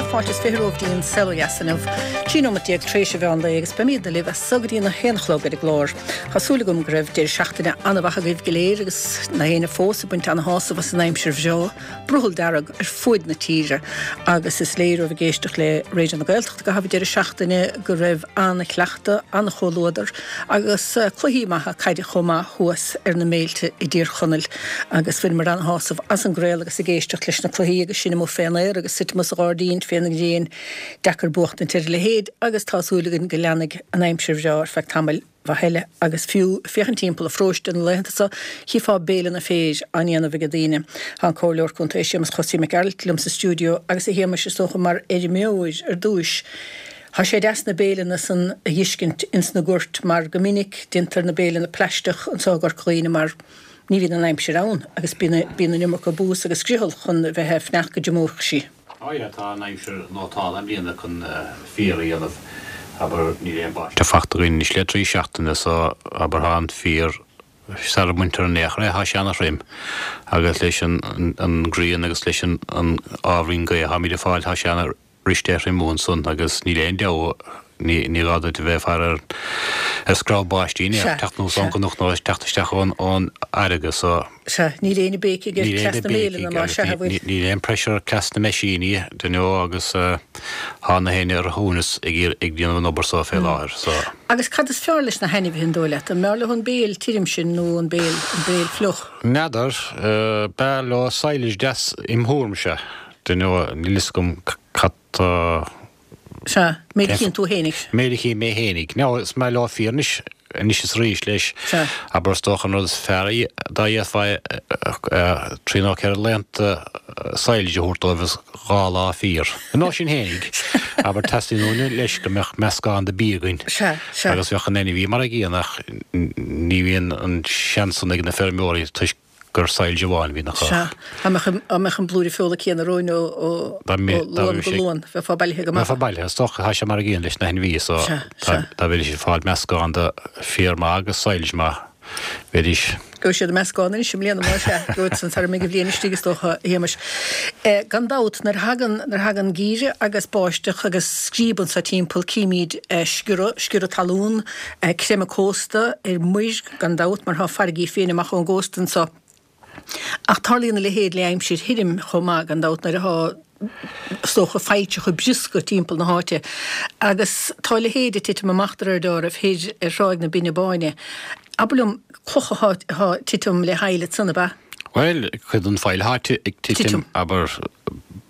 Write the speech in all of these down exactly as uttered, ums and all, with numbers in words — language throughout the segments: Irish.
fáilte is fiche romhaibh dtí'n Saol Ó Dheas inniu. Trí nóiméad déag tar éis an mheán lae agus beimidne libh as so go dtí a haon a chlog ar an gclár. Tá súil agam go raibh deireadh seachtaine an-mhaith agaibh go léir agus na héinne fós ag baint ana-shásamh as an aimsir bhreá, brothall dearg ar fuaid na tíre agus is léir ó bheith ag éisteacht le Raidió na Gaeltachta i gcaitheamh an deireadh seachtaine go raibh an-chleachtadh, an-chomhluadar agus cluichí maithe caide chomh maith thuas ar na méilte i dTír Chonaill agus bhaineamar an-shásamh as an gcraoladh agus ag éisteacht leis na cluichí agus sinn amuigh fén aer agus suite amuigh sa ghairdín fén ngréin deacair buachtaint ar a leithéid agus tá súil againn go leanfaidh an aimsir bhreá ar feadh tamaill mhaith eile agus fiú féachaint timpeall an pharóiste na laethanta seo chífeá béileanna féir á ndéanamh ag daoine. Tá an Comhairleoir Contae Séamus Chosaí Mac Gearailt liom sa stiúideo agus a Shéamais is dócha mar fheirmeoir ar dtúis. Tá sé deas na béileanna san a dh'fheiscint ins na goirt mar go minic déantar na béileanna plaisteach anseo i gCorca Dhuibhne mar ní bhíonn an aimsir ann agus bíonn bíonn an iomarca bús agus scriothal chun bheith ag fanacht go dtriomóidh sí. Á yeah, tá an aimsir nótálta i mbliana chun féar a dhéanamh, abair, níl aon báisteach fachta againn anois le trí seachtaine so abair tá an féar sara mbaintear in aon chor é, tá sé ana-throm agus leis an an ghrian agus leis an an ábhairín gaoth atáimid ag fáil tá sé ana bhriste a thriomú ansan agus níl aon deabhadh, ní ní gá duit a bheith ag faire ar ar screamh báistí ní Sea, teacht anuas sea. ón gcnoc nó teacht isteach ón ón fharraige so Sea, níl éinne ag béicigh ar níl cleas aon na mbéileanna béicigh ná agus sea, a bhfuil. níl aon pressure ar cleas na meaisíní do you know agus tá na héinne ar a shuaimhneas ag iarr ag déanamh an obair so fé láthair so. Agus cad is fearr leis na hainmhithe an dóigh leat? An mb'fhearr leo an béil tirim sin nó an béil an béil fliuch? N'fheadar, b'fhearr leo silage deas im thuairimse. Do you know, níl fhios agam cad tá. Sea, méid a chíonn tú fhéinig. Méid a chím mé fhéinig. Now, is maith leo féar anois, anois is arís leis. Sea. Abair is dócha an rud is fearr dá d'fhéadfá trí nó ceithre laethanta silage a thabhairt dóibh is dhá lá féar. Nó sin fhéinig. Abair teastaíonn uainn leis go mbeadh meascán de bia againn. Sea, sea. Agus bheadh an ainmhí mar a gcéanna ach ní bhíonn an seans san ag na feirmeoirí toisc gur silage amháin a bhíonn acu. Sea. Dá mbeadh an, dá mbeadh an blúire feola céanna romhainn ó, ó, Dá mbe, ó dá Luan mbeadh go sé, Luan, bheifeá bailithe go maith. bheifeá bailithe, is dócha, tá sé mar a gcéanna leis na hainmhithe so Sea, dá, sea. dá mbeidís ag fáil meascán de féar maith agus silage maith, bheidís. Gheobhaidh siad an meascán anois i mbliana, más ea. Gheobhaidh san sara mbeidh an bhliain istigh is dócha, a Shéamais. Eh, gan dabht, nuair a thagann, nuair a thagann geimhreadh agus báisteach agus scríob anso timpeall, címid eh, sciorradh, sciorradh talún, eh, creimeadh cósta ar muir, gan dabht, mar tá farraigí féin amach ón gcósta anso. Ach tarlaíonn a leithéid le aimsir thirim chomh maith, gan dabht, nuair atá, is dócha, failltreacha briosca timpeall na háite. Agus tá a leithéid ag titim amach de réir dealraimh thoir ar Thráigh na Binne Báine. Abair liom, clocha atá ag titim le haill ansan, ab ea? Bhuel, cuid den faill atá ag titim, abair,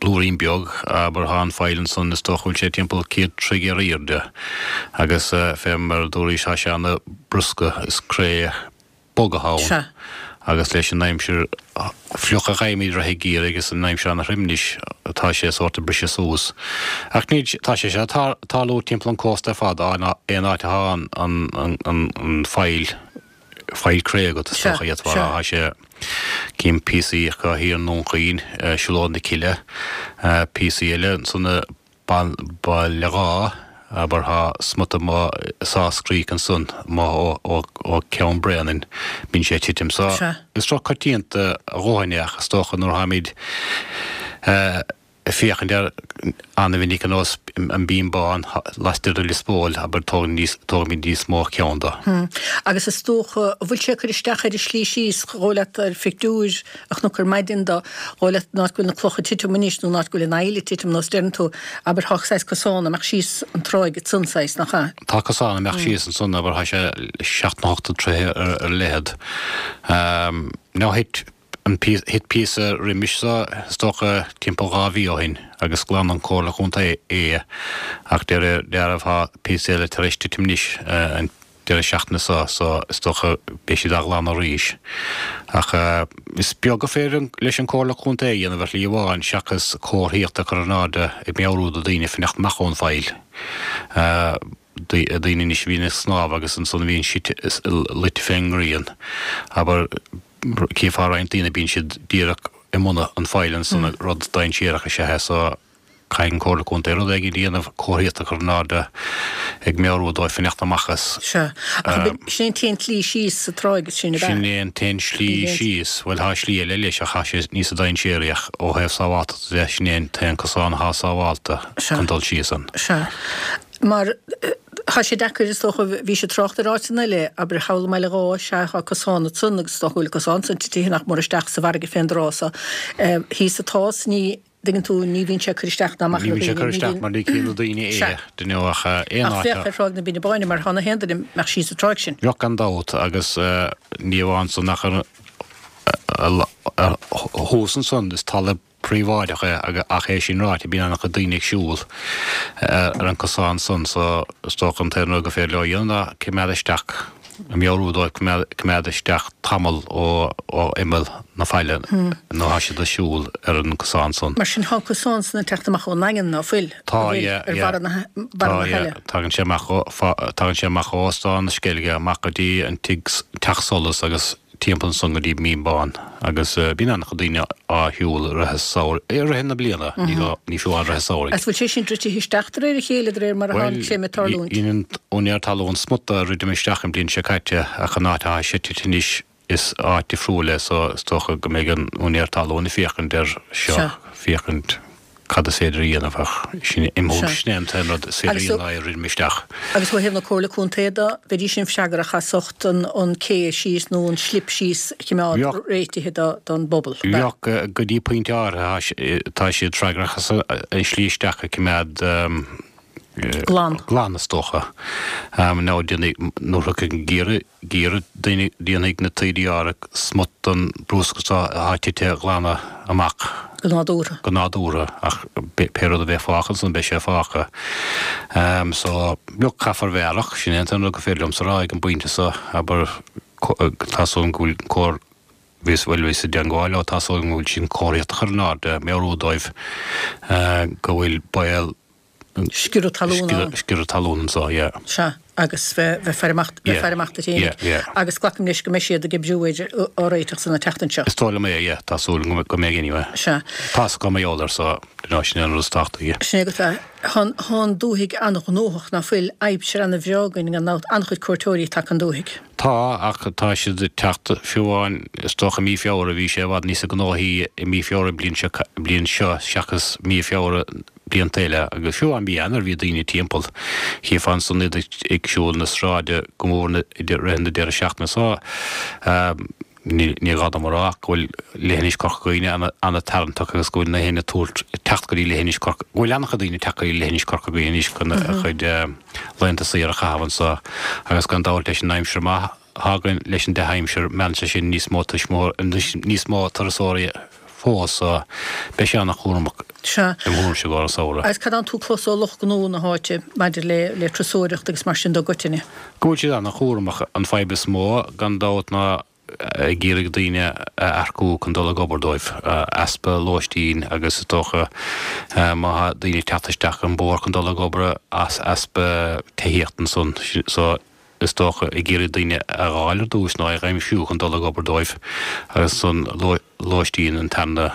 blúirín beag, abair, thá an faill ansan, is dócha go bhfuil sé timpeall céad troigh ar aoirde, agus fé mar a dúraís, tá sé ana brusca, is cré bog athá ann. Sea. Agus leis an aimsir fliuch a gheibhimid i rith an gheimhridh agus an aimsir ana thrim anois, tá sé sórt ag briseadh suas. Ach níl, tá sé seo ag tarlú timpeall an cósta ar fad, aon áit athá an, an, an, an faill, faill cré agat, is Sea, dócha, d'fhéadfá a sea. rá. Tá sé, cím píosaí acu thiar i nDún Chaoin, Siúlóid na Cille, píosaí eile ansan i Baile Dháith, abair, thá smut amuigh i Sauce Creek ansan, amuigh ó, ó Ceann Bréanainn, bíonn sé ag titim. So, Sea. is rud coitianta a dhóthain é ach is dócha nuair atáimid ag féachaint air an-mhinic ar nós an binn bán laistiar de Lios Póil, abair, tógaimid níos mó ceann de. Agus is dócha, an bhfuil sé ag cur isteach ar an slí síos, dhóigh leat ar phictiúir a chonac ar maidin do dhóigh leat an áit go bhfuil na clocha ag titim anois nó an áit go bhfuil an aill ag titim nós deireann tú, abair, thá saghas cosán amach síos an tráigh ansan saghas, nach ea? Tá cosán amach síos ansan, abair, thá sé seacht nó ocht dtroithe ar leithead. Now thit an thit píosa roimis so, is dócha timpeall dhá mhí ó shin, agus ghlan an Comhairle Chontae é, ach de réir dealraimh thá píosa eile tar éis titim anois an deireadh seachtaine so, so is dócha beidh siad á ghlanadh arís. Ach is beag a féidir leis an Comhairle Contae a dhéanamh ar shlí amháin seachas comharthaíocht a chur in airde ag meabhrú do daoine fanacht amach ón bhfaill. Daoine anois a bhíonn ag snámh agus ansan a bhíonn siad luite fén ngrian. Abair, cífeá roinnt daoine, bíonn siad díreach i mbun an faill ansan, rud dainséarach is ea é so. Caithfidh an Comhairle Contae rud éigin a dhéanamh, comharthaíocht a chur in airde ag meabhrú dóibh fanacht amach as. Sea. Ach sin é an t-aon tslí síos sa tráigh sin, ab ea? Sin é an t-aon slí síos. Bhuel, tá slí eile leis ach tá sé níosa dainséaraí ach ó thaobh sábháilteachta de, sin é an t-aon cosán atá sábháilte chun dul síos ann. Sea. Mar tá sé deacair, is dócha, bhí sé trácht ar áiteanna eile, abair thall i mBaile Dháith, sea, tá cosán ansan agus is dócha go bhfuil an cosán san titithe nach mór isteach sa bhfarraige fén dtráth so. Thíos atá is ní, dtuigeann tú, ní bhíonn sé ag cur isteach ná amach ar daoine. Ní bhíonn sé ag cur isteach mar ní chíonn na daoine é, do you know, ach aon áit a. Ach féach ar Thráigh na Binne Báine mar tá na haon duine a mbeadh síos sa tráigh sin. Bheadh gan dabht agus ní amháin san ach ar thuas ansan is talamh príobháideach é ach é sin ráite bíonn an-chuid daoine ag siúl ar an cosán san so is dócha an t-aon rud gur féidir leo a dhéanamh ná coimeád isteach, meabhrú dóibh coimeád isteach tamall ó imeall na faille nuair atá siad ag siúl ar an cosán san. Mar sin tá an cosán san ag teacht amach ón nDaingean, ná fuil? Tá, yeah, ar bharra na Tá, yeah. Tagann sé amach ó, tagann sé amach ó Óstán na Sceilge amach go dtí an tigh, Teach Solais agus timpeall ansan go dtí Mín Bán agus bíonn an-chuid daoine á shiúl i rith an samhraidh, i rith na bliana, ní gá, ní fiú amháin i rith an samhraidh. Agus bhfuil sé sin druidthe isteach de réir a chéile, de réir mar atá an creimeadh ag tarlúint? Bhuel, dhein an úinéir talún smut a dhruidim isteach an bhliain seo caite ach an áit atá sé tite anois is áit difriúil é so is dócha go mbeidh an úinéir talún ag féachaint air seo, féachaint cad is féidir a dhéanamh ach sin im thuairim, sin é an t-aon rud is féidir a dhéanamh ná é a dhruidim isteach. Agus ó thaobh na Comhairle Contae de, bheidís sin freagrach as ucht an cé síos nó an slip síos a choimeád réitithe don bpobal, ab ea? Bheadh, go dtí pointe áirithe tá siad freagrach as an slí isteach a choimeád glan, glan is dócha. Nó déanfaidh, nuair a thiocfaidh an geimhreadh, geimhreadh, déanfaidh na taoidí áirithe smut den bruscar seo atá tite a ghlanadh amach. Go nádúrtha. Go nádúrtha, ach pé rud a bheidh fágtha ansan beidh sé fágtha. So, look, caithfear bheith aireach, sin é an t-aon rud gur féidir liomsa a rá ag an bpointe seo, abair, tá súil agam go bhfuil comhar, bhíos, bhuel, bhíos i dteangmháil leo, tá súil agam go bhfuil siad comharthaíocht a chur in airde, meabhrú dóibh go bhfuil baol Sciorradh talún ann. Sciorradh talún anseo, yeah. Sea, agus bheith ag faire amach, bheith ag faire amach duit Yeah, fhéinig. yeah. Agus glacaim leis go mbeidh siad ag oibriú air, á réiteach san an tseachtain seo. Is dóigh liom é, yeah, tá súil agam go mbeidh anyway. Sea. Tá's acu mar gheall air so, you know, sin é an rud is tábhachtaí. Sin é agat é. Tá an dúthaigh an-ghnóthach, ná fuil? Aimsir an-bhreá againn gan dabht, an-chuid cuairteoirí ag teacht 'on dúthaigh. Tá, ach tá siad ag teacht, fiú amháin, is dócha i mí Feabhra, bhí sé i bhfad níosa gnóthaí i mí Feabhra an bliain seo, bliain seo seachas mí Feabhra blianta eile, agus fiú amháin mí Eanáir bhí daoine timpeall. Chífeá ansan iad ag siúl na sráide go mór i rith na deireadh seachtaine so. Ní gá dom a rá ach go bhfuil leithinis Chorca Dhuibhne an-tarraingteach agus go bhfuil na héinne ag tabhairt, ag teacht go dtí leithinis Chorca, go bhfuil an-chuid daoine ag teacht go dtí leithinis Chorca Dhuibhne anois chun a chuid laethanta saoire a chaitheamh anso agus gan dabht leis an aimsir maith atá againn, leis an dea-aimsir, meallann sé sin níos mó tuismitheoirí, níos mó turasóirí fós so beidh sé an-chúramach Sea. im thuairimse i gcomhair an samhradh. Agus cad atánn tú clos ó lucht gnó na háite maidir le le turasóireacht agus mar sin de i gcoitinne? Go bhfuil siad an-chúramach. An fadhb is mó, gan dabht, ná ag iarraidh daoine a earcú chun dul ag obair dóibh. Easpa lóistín agus is dócha má tá daoine ag teacht isteach an bóthar chun dul ag obair as easpa tithíochta ansan so is dócha ag iarraidh daoine a dh'fháil ar dtús nó a dh'aimsiú chun dul ag obair dóibh agus ansan lóistín an tarna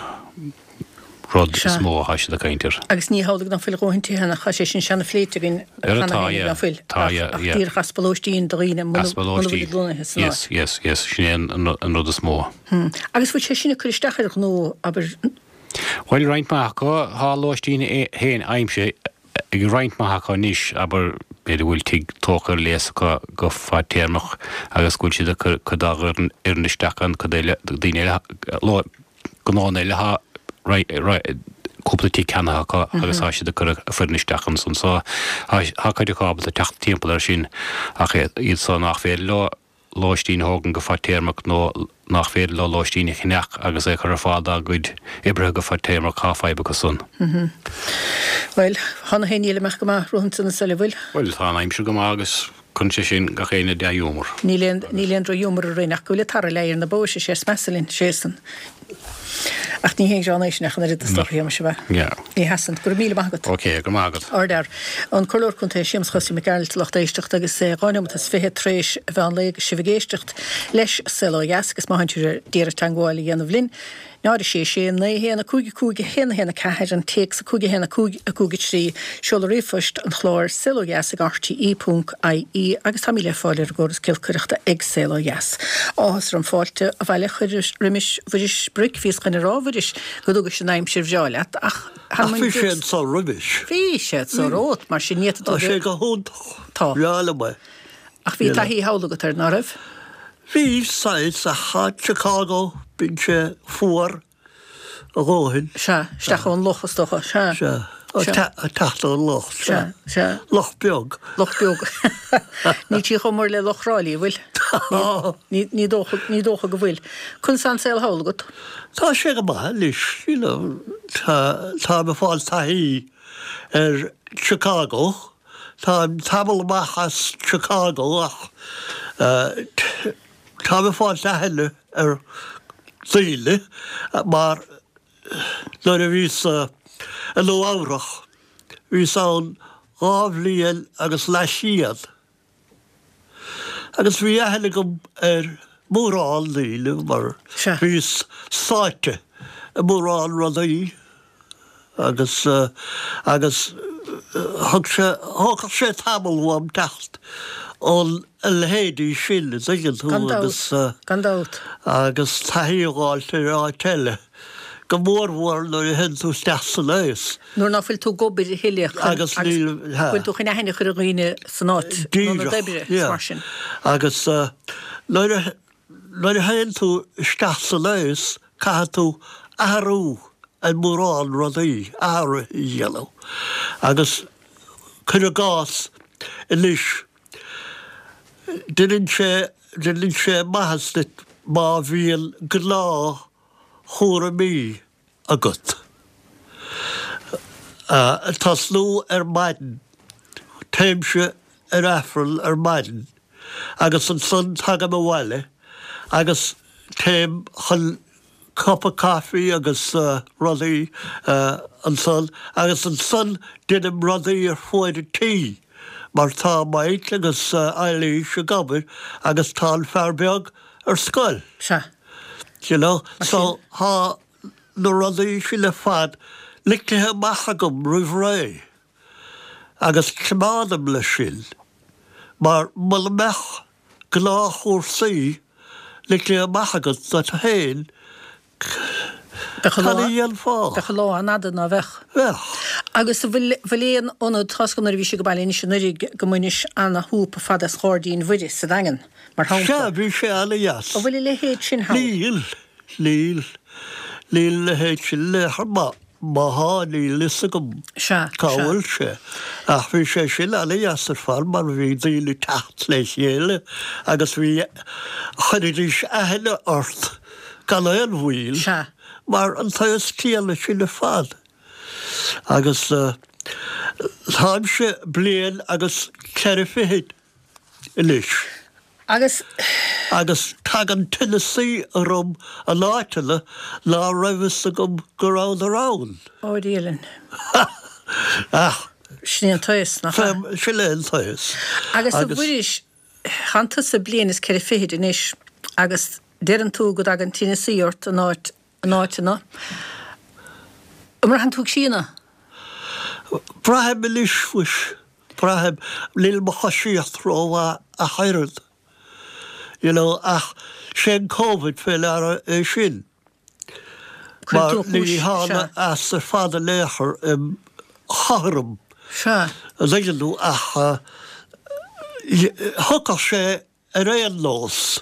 rud is mó atá siad ag caint air. Agus ní hamhlaidh ná fuil a dhóthain tithe ann ach tá sé sin seana-phléite againn cheana féin ná fuil ach díreach easpa lóistín do dhaoine muna bhfuil siad lonnaithe san áit. Yes, yes, yes, sin é an rud is mó. Agus bhfuil sé sin ag cur isteach ar ghnó, abair? Bhuel, roinnt mhaith acu, tá lóistín féin aimsithe ag roinnt mhaith acu anois, abair, b'fhéidir go bhfuil tigh tógtha ar léas acu go fadtéarmach agus go bhfuil siad ag cur cuid dá bhfoireann isteach ann, cuid eile, daoine eile, gnóanna eile atá cúpla tigh ceannaithe acu agus tá siad ag cur a bhfoireann isteach ansan. So tá cuid acu ábalta teacht timpeall air sin ach iad so nach féidir leo lóistín a thógaint go fadtéarmach nó nach féidir leo lóistín a cheannach agus é a chur ar fáil dá gcuid oibrithe go fadtéarmach, tá fadhb acu san. Bhuel, tá na héinne eile amach go maith romhat ansan sa bhfuil? Bhuel, tá an aimsir go maith agus cuireann sé sin gach éinne i dea-ghiúmar. Níl aon, níl aon droch-ghiúmar orainn ach go bhfuil an t-earrach ag leá ar na bóis, is é is measa linn, sé san. Ach ní haon ghreann é sin ach an oiread is dócha, a Shéamais, ab ea? Yeah. Ní sheasann. Go raibh míle maith agat. Ok, go raibh maith agat. Ardfhear. An Comhairleoir Contae Séamus Chosaí Mac Gearailt, lucht éisteachta agus é dhá neomat is fiche tar éis a mheán lae agus sibh ag éisteacht leis Saol Ó Dheas agus má tánn sibh d'iarraidh teagmháil a dhéanamh linn, náid a sé sé naoi a haon a cúig a cúig a haon a haon a ceathair, an téacs a cúig a haon a cúig a cúig a trí, seoladh ríomhphoist an chláir Saol Ó Dheas ag R T E ponc I E agus táimid le fáil ar an gcóras giolcaireachta ag Saol Ó Dheas. Áthas orm fáilte abhaile a chur roimis Mhuiris Bric. Bhíos chun a rá, Mhuiris, go dtugais an aimsir bhreá leat ach Ach bhí sé anso roimis. Bhí sé anso romhat, mar sin ní Tá sé go hiontach. Tá. Breá liom é. Ach bhí taithí thall agat air, ná raibh? Bhí saghas ach Chicago, bíonn sé fuar a dhóthain. Sea, isteach ón loch is dócha, sea. Sea, teacht ón loch, sea. Sea. Loch beag. Loch beag. Níl sí chomh mór le Loch Thrá Lí, bhfuil? Ní dócha, ní dócha go bhfuil. Conas tá an saol thall agat? Tá sé go maith anois, you know, tá táim ag fáil taithí ar Chicago. Táim tamall amach as Chicago ach táim ag fáil aithne ar dhaoine mar nuair a bhíos i Nua Eabhrach, bhíos ann dhá bhliain agus leathshéan. Agus bhí aithne agam ar mórán daoine mar bhíos sáite i mórán rudaí agus agus thug sé thógfadh sé tamall uaim teacht ón a leithéidí sin, an dtuigeann tú, agus Gan dabht. agus taithí a fháilt ar áit eile, go mórmhór nuair a théann tú isteach san aos. Nuair ná fuil tú ag obair a thuilleadh agus níl bhfuil tú chun aithne a chur ar dhaoine san áit nó na Díreach, oibre yeah. mar sin. Agus nuair a nuair a théann tú isteach san aos, caithfidh tú athrú ar mórán rudaí, athrú a dhéanamh. Agus cuir i gcás anois, déanann sé déanann sé maitheas duit má bhíonn gnáthchúraimí agat. Tosnú ar maidin, téimse ar Aifreann ar maidin agus ansan tagaim abhaile agus téim chun cupa caife agus rudaí ansan agus ansan déanaim rudaí ar fuaid an tí mar tá Mike agus Eilís ag obair agus tá an fear beag ar scoil. Sea. You know, so tá na rudaí sin ar fad ligthe amach agam roimh ré agus coimeádaim leis sin mar mura mbeadh gnáthchúrsaí ligthe amach agat duit féin, Bheadh cad a dhéanfá? Bheadh an lá an-fhada ná bheadh. Bheadh. Agus an bhfuil bhfuil aon ionad, tá's agam nuair a bhís ag baile anois anuraidh go mbainis ana-shúp fada as Gairdín Mhuire sa Daingean, mar Sea, shampla. bhí sé ana-dheas. An bhfuil a leithéid sin thall? Níl, níl, níl a leithéid sin le má má thá níl fhios agam Sea, cá sea. bhfuil sé. Ach bhí sé sin ana-dheas ar fad mar bhí daoine teacht le chéile agus bhí chuiridís aithne ort gan aon mhoill Sea. mar an t-aos céanna sin ar fad. Agus uh, táimse bliain agus ceithre fichid anois. Agus Agus tagann tinneasaí orm in áiteanna ná raibh fhios agam go rabhadar ann. Ó Dhia linn. Ach Sin é an t-aos, nach ea? Sin é an t-aos. Agus a Mhuiris, tánn tusa bliain is ceithre fichid anois agus deireann tú go dtagann tinneasaí ort in áit in áiteanna. An mbraitheann tú ag síneadh? Braithim anois mhuis, braithim níl mo choisíocht rómhaith ach oiread. You know, ach sé an Covid fé deara é sin. Cuir Mar tú ní chúis, thána sea. as ar fad in aon chor im chothrom. Sea. An dtuigeann tú ach uh, thiocfadh sé ar aon nós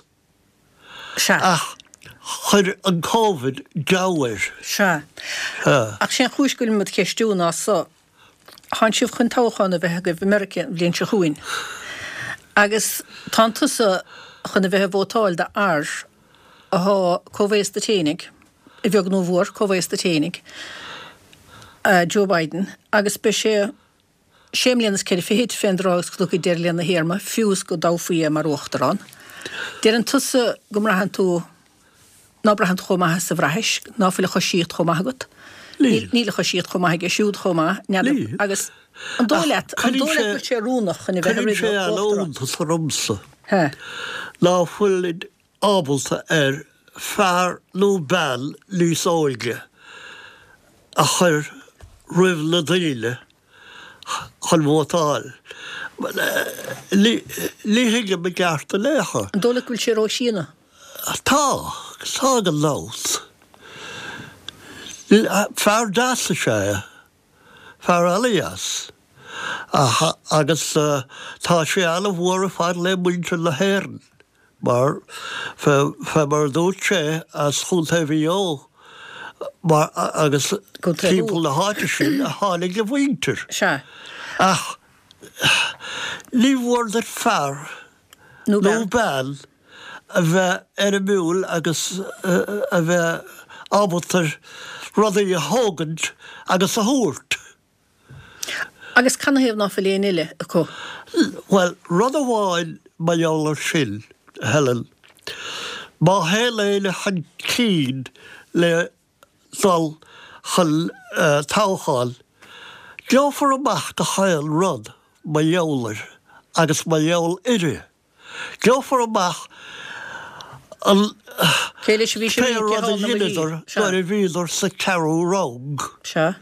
Sea. ach chuir an Covid deabhadh air. Sea. Sea. Ach sé an chúis go bhfuil muid ceistiú ná so. Tánn sibh chun toghchán a bheith agaibh i Meiriceá an bhliain seo chugainn. Agus tánn tusa chun a bheith ag vótáil do fhear athá comhaosta duit fhéinig, a bheag nó a mhór comhaosta duit fhéinig, uh, Joe Biden, agus beidh sé sé mbliana is ceithre fichid fén dtráth is go dtiocfaidh deireadh lena théarma, fiú is go dtoghfaí é mar uachtarán. Deireann tusa go mbraitheann tú ná braitheann tú chomh maith is a bhraithis, ná fuil a choisíocht chomh maith agat. Níl. Níl a choisíocht chomh maith aige siúd chomh maith, n'fheadar. Níl. Agus an dóigh Ach leat, an cuireann dóigh leat sé- go bhfuil sé oiriúnach chun a bheith Cuireann sé uachtarán? an-iontas ormsa. He. Ná fuilid ábalta ar fear nó bean níos óige a chur roimh na daoine chun vótáil. Ní thuigim i gceart in aon chor. An dóigh leat go bhfuil sé róshíonadh? Tá, tá gan dabht. Fear deas is ea é. Fear an-dheas. Agus tá sé an-mhór ar fad le muintir na hÉireann mar fé mar a dúirt sé as Chontae Mhaigh Eo mar agus timpeall na háite sin a tháinig a mhuintir. Sea. Ach ní mhór duit fear nó bean a bheith éirimiúil agus a bheith ábalta rudaí a thógaint agus a thabhairt. Agus canathaobh ná fuil éinne eile acu? Bhuel, rud amháin mar gheall air sin, a Helen, má théann éinne chun cinn le dul chun toghcháin, gheofar amach gach aon rud mar gheall air agus mar gheall uirthi. Gheofar amach an Cé leis a bhí sé pé rud a dheineadar nuair a bhíodar sa cheathrú rang. Sea.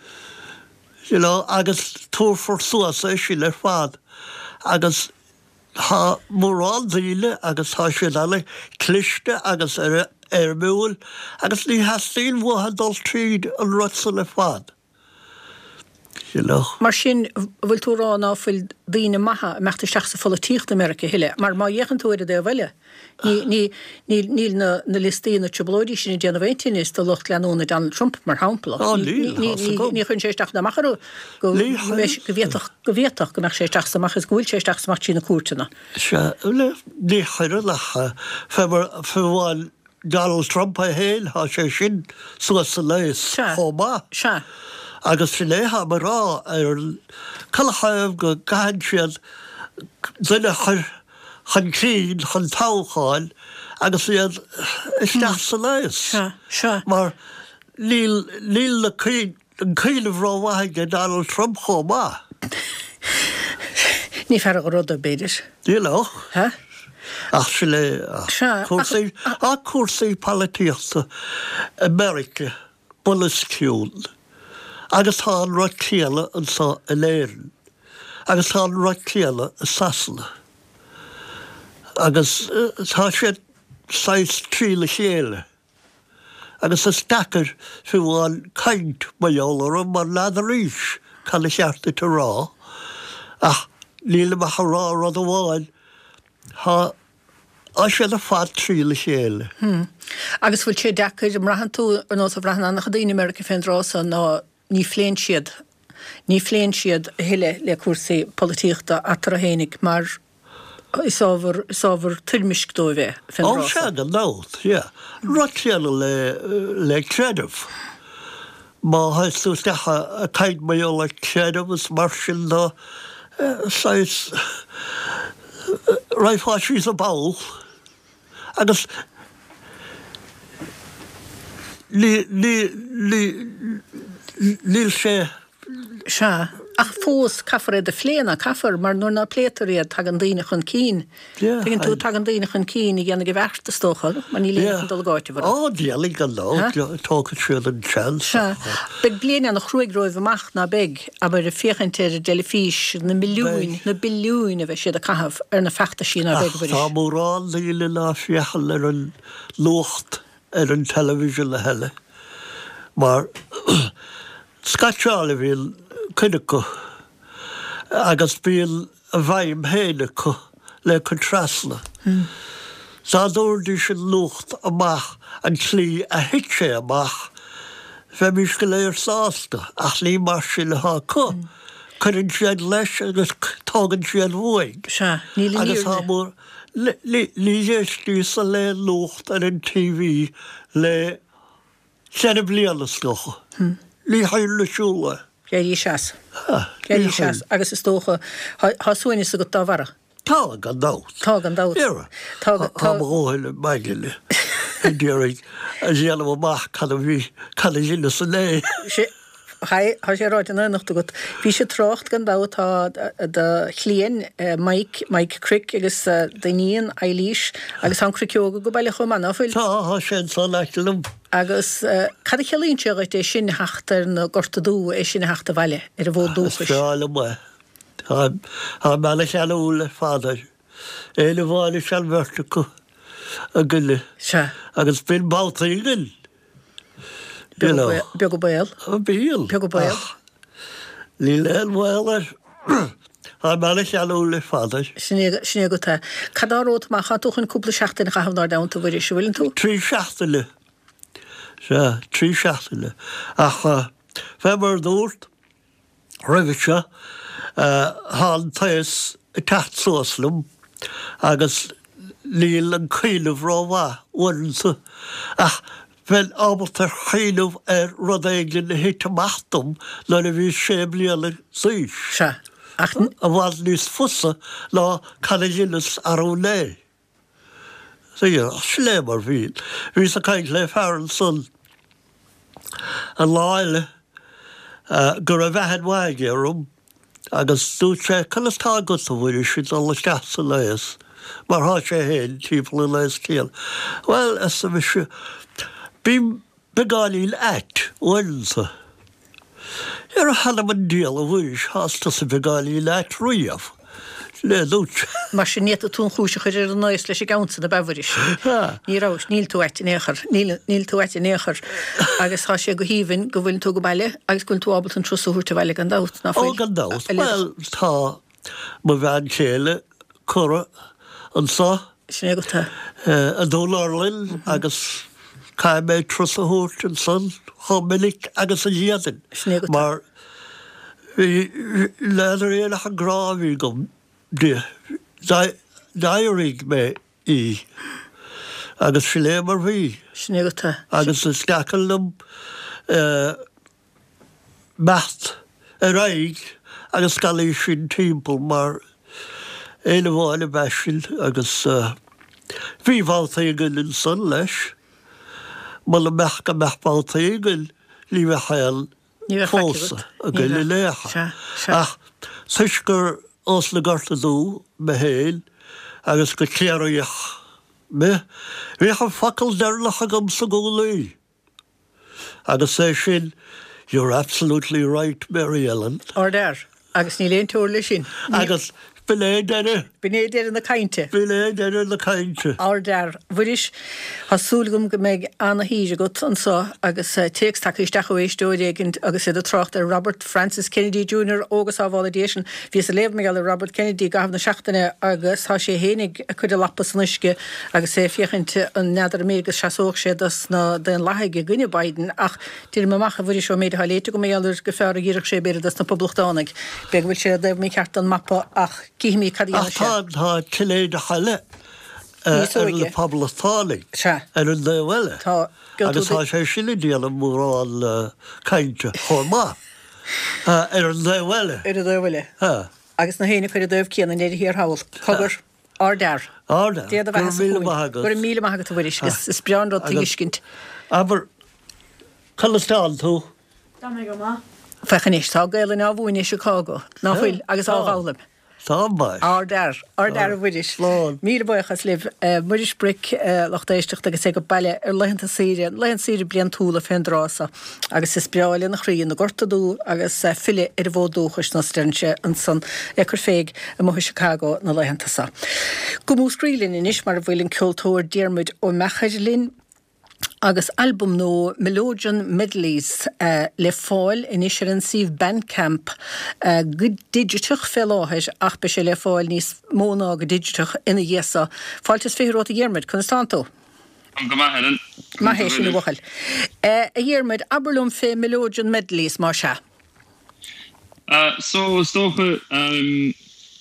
You know, agus tabharfar suas é sin ar fad agus tá mórán daoine agus tá siad an-chliste agus éirimiúil agus ní theastaíonn uathu dul tríd an rud san ar fad. You know. Mar sin, bhfuil tú ag rá ná fuil daoine maithe ag imeacht isteach sa pholaitíocht i Meiriceá a thuilleadh? Mar má fhéachann tú ar an dtaobh eile, ní, ní, níl, níl na, na liostaí, na trioblóidí sin ag déanamh aon tinnis do lucht leanúna Donald Trump, mar shampla. Á, níl, Ní, tá 's ní, agam. ní chuireann sé isteach ná amach orthu go, Ní go mbeidh, go bhféadfadh, go bhféadfadh go mbeadh sé isteach is amach is go bhfuil sé isteach is amach trí na cúirteanna. Sea, bhuel, ní chuireann ach fé mar, fé bhuel Donald Trump é féin, tá sé sin suas san aos Sea. chomh maith. Sea. Agus sin é tháim ag rá ar an canathaobh go gcaitheann siad duine a chur chun cinn chun toghcháin agus iad isteach san aos. Sea, sea. Mar níl, níl na cuimh, an cuimhneamh rómhaith aige Donald Trump chomh maith. Ní fear a ruda, b'fhéidir. You know. Ha? Ach sin é, ach Sea, cúrsaí, ach cúrsaí polaitíochta i Meiriceá bunoscionn. Agus tá an rud céanna anseo in Éirinn. Agus tá an rud céanna i Sasana. Agus tá siad saghas trína chéile. Agus is deacair fiú amháin caint mar gheall orthu mar n'fheadaraís cad a cheart duit a rá. Ach nílim ach ag rá rud amháin, tá tá siad ar fad trína chéile. Hmm. Agus bhfuil sé deacair, an mbraitheann tú ar nós a bhraitheann an-chuid daoine i Meiriceá fén dtráth so ná ní phléann siad, ní phléann siad a thuilleadh le cúrsaí polaitíochta eatarthu fhéinig mar is ábhar, is ábhar toirmisc dóibh é fén Ó dtráth sea, so. gan dabht, yeah. Rud céanna le, le creideamh. Má théanns tú isteach ag caint mar gheall ar creideamh is mar sin de, saghas, raghfá síos an ball agus ní, ní, ní, níl sé. Sea, ach fós caithfear iad a phlé, ná caithfear, mar nuair ná pléitear iad tagann daoine chun cinn. Yeah, Tuigeann tú, I- tagann daoine chun cinn a dhéanfaidh a bheart, is dócha, mar níl éinne chun dul ag áiteamh orthu. Ó, déanfaidh gan dabht, Ha? tógfaidh siad an seans. Sea, beidh bliain an-chruaidh romhaibh amach, ná beidh, abair, ag féachaint ar an dteilifís, na milliúin, Beidh. na billiúin a bheidh siad ag caitheamh ar na feachtaisí, ná beidh, Ach tá Mhuiris? mórán daoine ná féachann ar an nuacht ar an television a thuilleadh, mar scaitseáil a bhíonn cuid acu agus bíonn a bhfeidhm féin acu le cur trasna. Dá dtabharfaidís an nuacht amach an tslí a thit sé amach, bheimís go léir sásta, ach ní mar sin atá acu. Cuireann siad leis agus tógann siad uaidh. Sea, níl an Agus tá fhírinne. mór, ní d'éistíos le nuacht ar an TV le ceithre bliana is dócha. Ní théann siúl é. D'éirí seas. Ha, D'éirí ní seas théann. agus is dócha, tá suaimhneas agat dá bharra. Tá gan dabht. Tá gan dabht. Dhera. Tá Tá tá mo dhóthain i maidin ag iarraidh a dhéanamh amach cad a bhí cad a dheineas inné. Sé Tá sé ráite in éineacht agat. Bhís ag trácht gan dabht tá do chliain Mike, Mike Crick agus d'iníon Eilís agus tá an Cricceog go baile chomh maith, ná fuil? Tá, tá sé ansan in aice liom. Agus cad a chiallaíonn sé dhuit é sin a theacht ar na Gorta Dubha, é sin a theacht abhaile ar an bhfód Is dúchais? breá liom é. Táim ana-cheanúil ar fad air. Éinne amháin is ea an bheirt acu againne. Sea. Agus bíonn babhtaí againn. You know. Beag an baol. Bíonn. Beag an baol. Ach níl aon bhaol air. Táim ana-cheanúil ar fad air. Sin é, sin é agat é. Cad dá romhat amach? Tá tú chun cúpla seachtain a chaitheamh inár dteannta, a Mhuiris, an bhfuileann tú? Trí seachtaine. Sea, trí seachtaine. Ach fé mar a dúrt roimhe seo, tá an t-aos ag teacht suas liom agus níl an cuimhneamh rómhaith uaireanta ach bheinn ábalta cuimhneamh ar rud éigin a thit amach dom nuair a bhíos sé bliana d'aois. Sea, ach. I bhfad níos fusa ná cad a dheineas arú inné. Sea, sin é mar bhí. Bhíos ag caint le fear ansan an lá eile go raibh aithne mhaith aige orm agus dúirt sé, Conas tá agat, a Mhuiris, ag dul isteach san aos, mar thá sé féin timpeall an aos céanna. Bhuel, arsa mise, bím beagáinín ait uaireanta. Ar a th'anam 'on diabhal, a Mhuiris, thás tusa beagáinín ait riamh. Sin é a dúirt sé. Mar sin, ní fhéadfadh tú an chúis a chur ar an aos leis an gceann san, ab ea, a Mhuiris? Ní rabhais, níl tú ait in aon chor, níl, níl tú ait in aon chor. Agus tá sé go haoibhinn go bhfuileann tú go baile agus go bhfuileann tú ábalta an turas a thabhairt abhaile gan dabht, ná Ó, fuil? gan dabht. A Bhuel, tá mo bhean chéile curtha anso. Sin é agat é. I nDún Urlann agus caithfidh mé turas a thabhairt ansan chomh minic agus a d'fhéadfainn. Sin é agat é. Mar bhí, n'fheadar aon ach an grá a bhí agam di. D'éirigh mé í agus sin é mar bhí. Sin é agat é. Agus is deacair liom imeacht ar aghaidh agus gan í sin timpeall mar aon amháin ab ea sin agus bhí babhtaí againn ansan leis. Muna mbeadh go mbeadh babhtaí againn ní bheadh aon Ní bheadh faic phósadh agat. againn in aon chor. Sea, sea. Ach toisc gur ós na Gorta Dubha mé féin agus gur Ciarraíoch mé, bhíodh an focal deireanach agamsa i gcónaí agus é sin You're absolutely right, Mary Ellen. Ardfhear. Agus níl aon teora leis sin. Agus b'in é deireadh. B'in é deireadh na cainte. B'in é deireadh na cainte. Ardfhear. A Mhuiris, tá súil agam go mbeidh ana-shaoire agat anso agus téacs tagtha isteach ó éisteoir éigin agus iad ag trácht ar Robert Francis Kennedy Junior Ó go sábhála Dia sinn. Bhíos ag léamh mar gheall ar Robert Kennedy i gcaitheamh na seachtaine agus tá sé fhéinig ag cur a lapa san uisce agus é ag féachaint an n'fheadar an mb'fhéidir go seasódh sé dos na Daonlathaigh i gcoinne Biden ach deirim amach a Mhuiris ón méid atá léite agam mar gheall air gur fearr a d'oirfeadh sé b'fhéidir dos na Poblachtánaigh. B'fhéidir go bhfuil sé i dtaobh mícheart den mapa ach cífimid cad a Ach dhéanfaidh sé. tá, tá Cinnéideach eile Níos ar óige. na Poblachtánaigh Sea. ar an dtaobh eile. Tá. Gheobhaidh Agus tú tá sé sin ag déanamh mórán cainte chomh maith ar an dtaobh eile. Ar an dtaobh eile. Sea. Agus na héinne cuir i dtaobh céanna i ndeireadh thiar thall. Cogar. Ardfhear. Ardfhear. Dia do Go bheatha raibh sa míle chúinne. maith agat. Go raibh míle maith agat a Mhuiris. Is, is breá an rud Agus tuiscint. Abair, conas tánn tú? Tá mé go maith. Féach anois, tá Gaelainn á mhúineadh i Chicago, ná fuil, agus á Tá. bhfoghlaim. Tá maith. Ardfhear, ardfhear a Mhuiris. Slán. Míle buíochas libh. Muiris Bric, lucht éisteachta agus é go baile ar laethanta saoire, laethanta saoire bliantúla fén dtráth so. Agus is breá lena chroí na Gorta Dubha agus filleadh ar an bhfód dúchais nós deireann sé ansan ag cur fé amuigh i Chicago na laethanta so. Go Múscraí linn anois mar a bhfuil an ceoltóir Diarmuid Ó Meachair linn. Agus albam nua Melodeon Medleys le fáil anois ar an suíomh Bandcamp go digiteach fé láthair ach beidh sé le fáil níos mó ná go digiteach ina dhiaidh so. Fáilte is fiche romhat a Dhiarmuid, conas tánn tú? Táim go maith, Helen. Maith é sin a bhuachaill. A Dhiarmuid, abair liom fé Melodeon Medleys más ea. So, is dócha,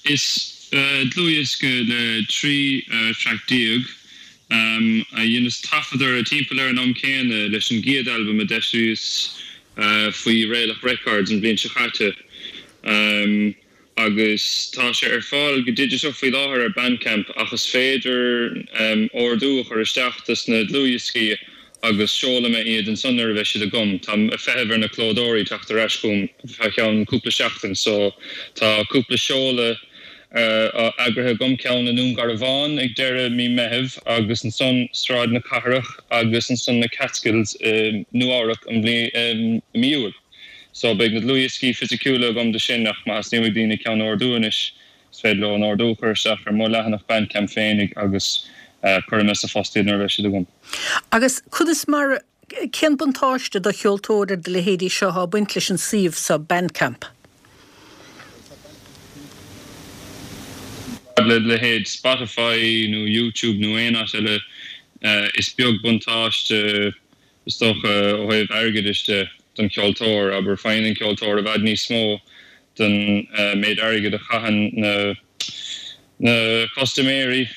is dlúthdhiosca le trí traic déag a dheineas taifead orthu timpeall ar an am céanna leis an gcéad albam a d'eisíos faoi Réalach Records an bhliain seo caite. Agus tá sé ar fáil go digiteach faoi láthair ar Bandcamp ach is féidir ordú a chur isteach dos na dlúthdhioscaí agus seolfaidh mé iad ansan nuair a bheidh siad agam. Táim ag feitheamh ar na clódóirí teacht ar ais chugam fá cheann cúpla seachtain so tá cúpla seoladh eagraithe agam, ceann i nDún Garbhán ag deireadh mí Meitheamh agus ansan Sráid na Cathrach agus ansan na Catskills i Nua Eabhrac i mí Iúil. So beidh na dlúthdhioscaí fisiciúla agam de sin ach má theastaíonn uaidh daoine ceann a ordú anois is féidir leo an ordú a chur isteach ar mo leathanach Bandcamp féinig agus cuirfidh mé sa phost iad nuair a bheidh siad agam. Agus conas mar, cén buntáiste do cheoltóir ar do leithéidí seo atá ag baint leis an suíomh seo Bandcamp? Le leithéid Spotify nó YouTube nó aon áit eile is beag buntáiste is dócha ó thaobh airgeadais de don cheoltóir, abair faigheann an ceoltóir i bhfad níos mó den méid airgid a chaitheann na na custaiméirí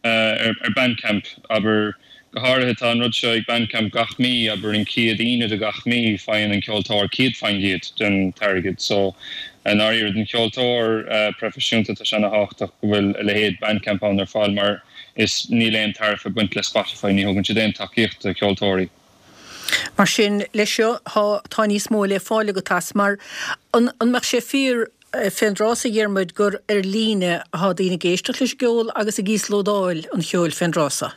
ar Bandcamp, abair. Go háirithe tá an rud seo ag Bandcamp gach mí, abair an chéad Aoine de gach mí faigheann an ceoltóir céad faoin gcéad den t-airgead. So i ndáiríre don cheoltóir proifisiúnta tá sé ana thábhachtach go bhfuil a leithéid Bandcamp ann ar fáil mar is níl aon tariff ag baint le Spotify, ní thugann siad aon tacaíocht do cheoltóirí. Mar sin, leis seo, tá níos mó le fáil agat as, mar an mbeadh sé fíor fén dtráth so, a Dhiarmuid, gur ar líne atá daoine ag éisteacht leis an gceol agus ag íoslódáil an cheoil fén dtráth so?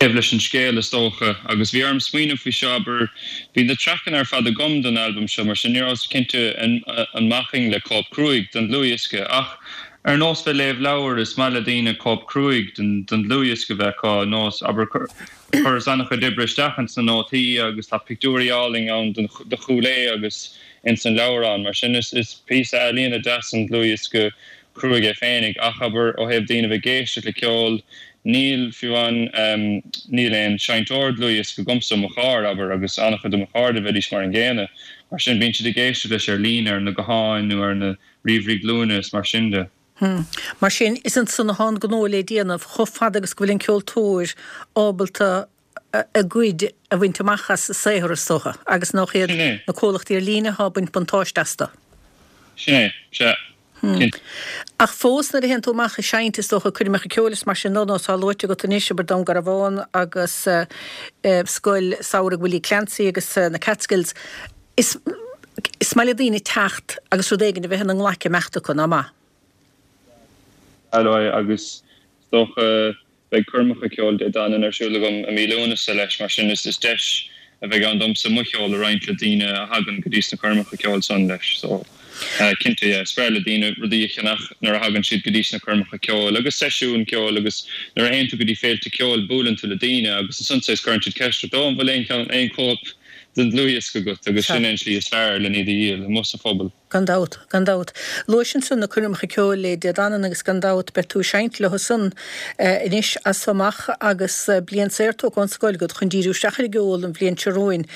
Taobh leis an scéal, is dócha, agus bhí orm smaoineamh faoi seo, abair, bhí na traiceanna ar fad agam don albam seo, mar sin ní rabhas cinnte an mbacfainn le cóip cruaidh den dlúthdhiosca, ach ar nós bheith léamh leabhair, is maith le daoine cóip cruaidh den dlúthdhiosca bheith acu, nós, abair, chuireas an-chuid oibre isteach ins na nótaí agus tá pictiúirí álainn ann de Chúil Aodha agus ins an leabhrán, mar sin is píosa ealaíona deas an dlúthdhiosca cruaidh é féinig. Ach, abair, ó thaobh daoine bheith ag éisteacht le ceol, níl, fiú amháin, níl aon seinnteoir dlúthdhiosca agamsa i mo charr, abair, agus an-chuid de mo chairde, bheidís mar an gcéanna. Mar sin, bíonn siad ag éisteacht leis ar líne, ar na gutháin nó ar na ríomhairí glúine is mar sin de. Mar sin, is ansan atá an gnó le déanamh, chomh fada agus go bhfuil an ceoltóir ábalta a gcuid a bhaint amach as a saothar, is dócha, agus nach iad na comhlachtaí ar líne atá ag baint buntáiste astu. Sin é, sea. Cinnte. Ach fós, nuair a théann tú amach ag seinnt, is dócha, coirmeacha ceoil is mar sin de, nós atá luaite agat anois, abair Dún Garbhán agus Scoil Samhraidh Willie Clancy agus na Catskills, is is maith le daoine teacht agus rud éigin a bheith ina nglaic imeacht acu, nach maith? Sea, agus is dócha beidh coirmeacha ceoil Dé Danann ar siúl agam i mí Lúnasa leis, mar sin is deis a bheidh ann domsa mo cheol a roinnt le daoine a thagann go dtí sna coirmeacha ceoil san leis. So, cinnte, yeah, is breá le daoine rudaí a cheannach nuair a thagann siad go dtí sna coirmeacha ceoil agus seisiúin ceoil agus nuair a théann tú go dtí féilte ceoil buaileann tú le daoine agus ansan saghas cuireann siad ceist ort, oh an bhfuil aon cheann, aon chóip den dlúthdhiosca agat agus sin é an tslí is fearr len iad a dhíol, amuigh sa phobal. Gan dabht, gan dabht. Luais ansan na coirmeacha ceoil le Dé Danann agus gan dabht beidh tú ag seinnt leo san anois as so amach agus bliain saor tógtha ón scoil agat chun díriú isteach ar an gceol an bhliain seo romhainn.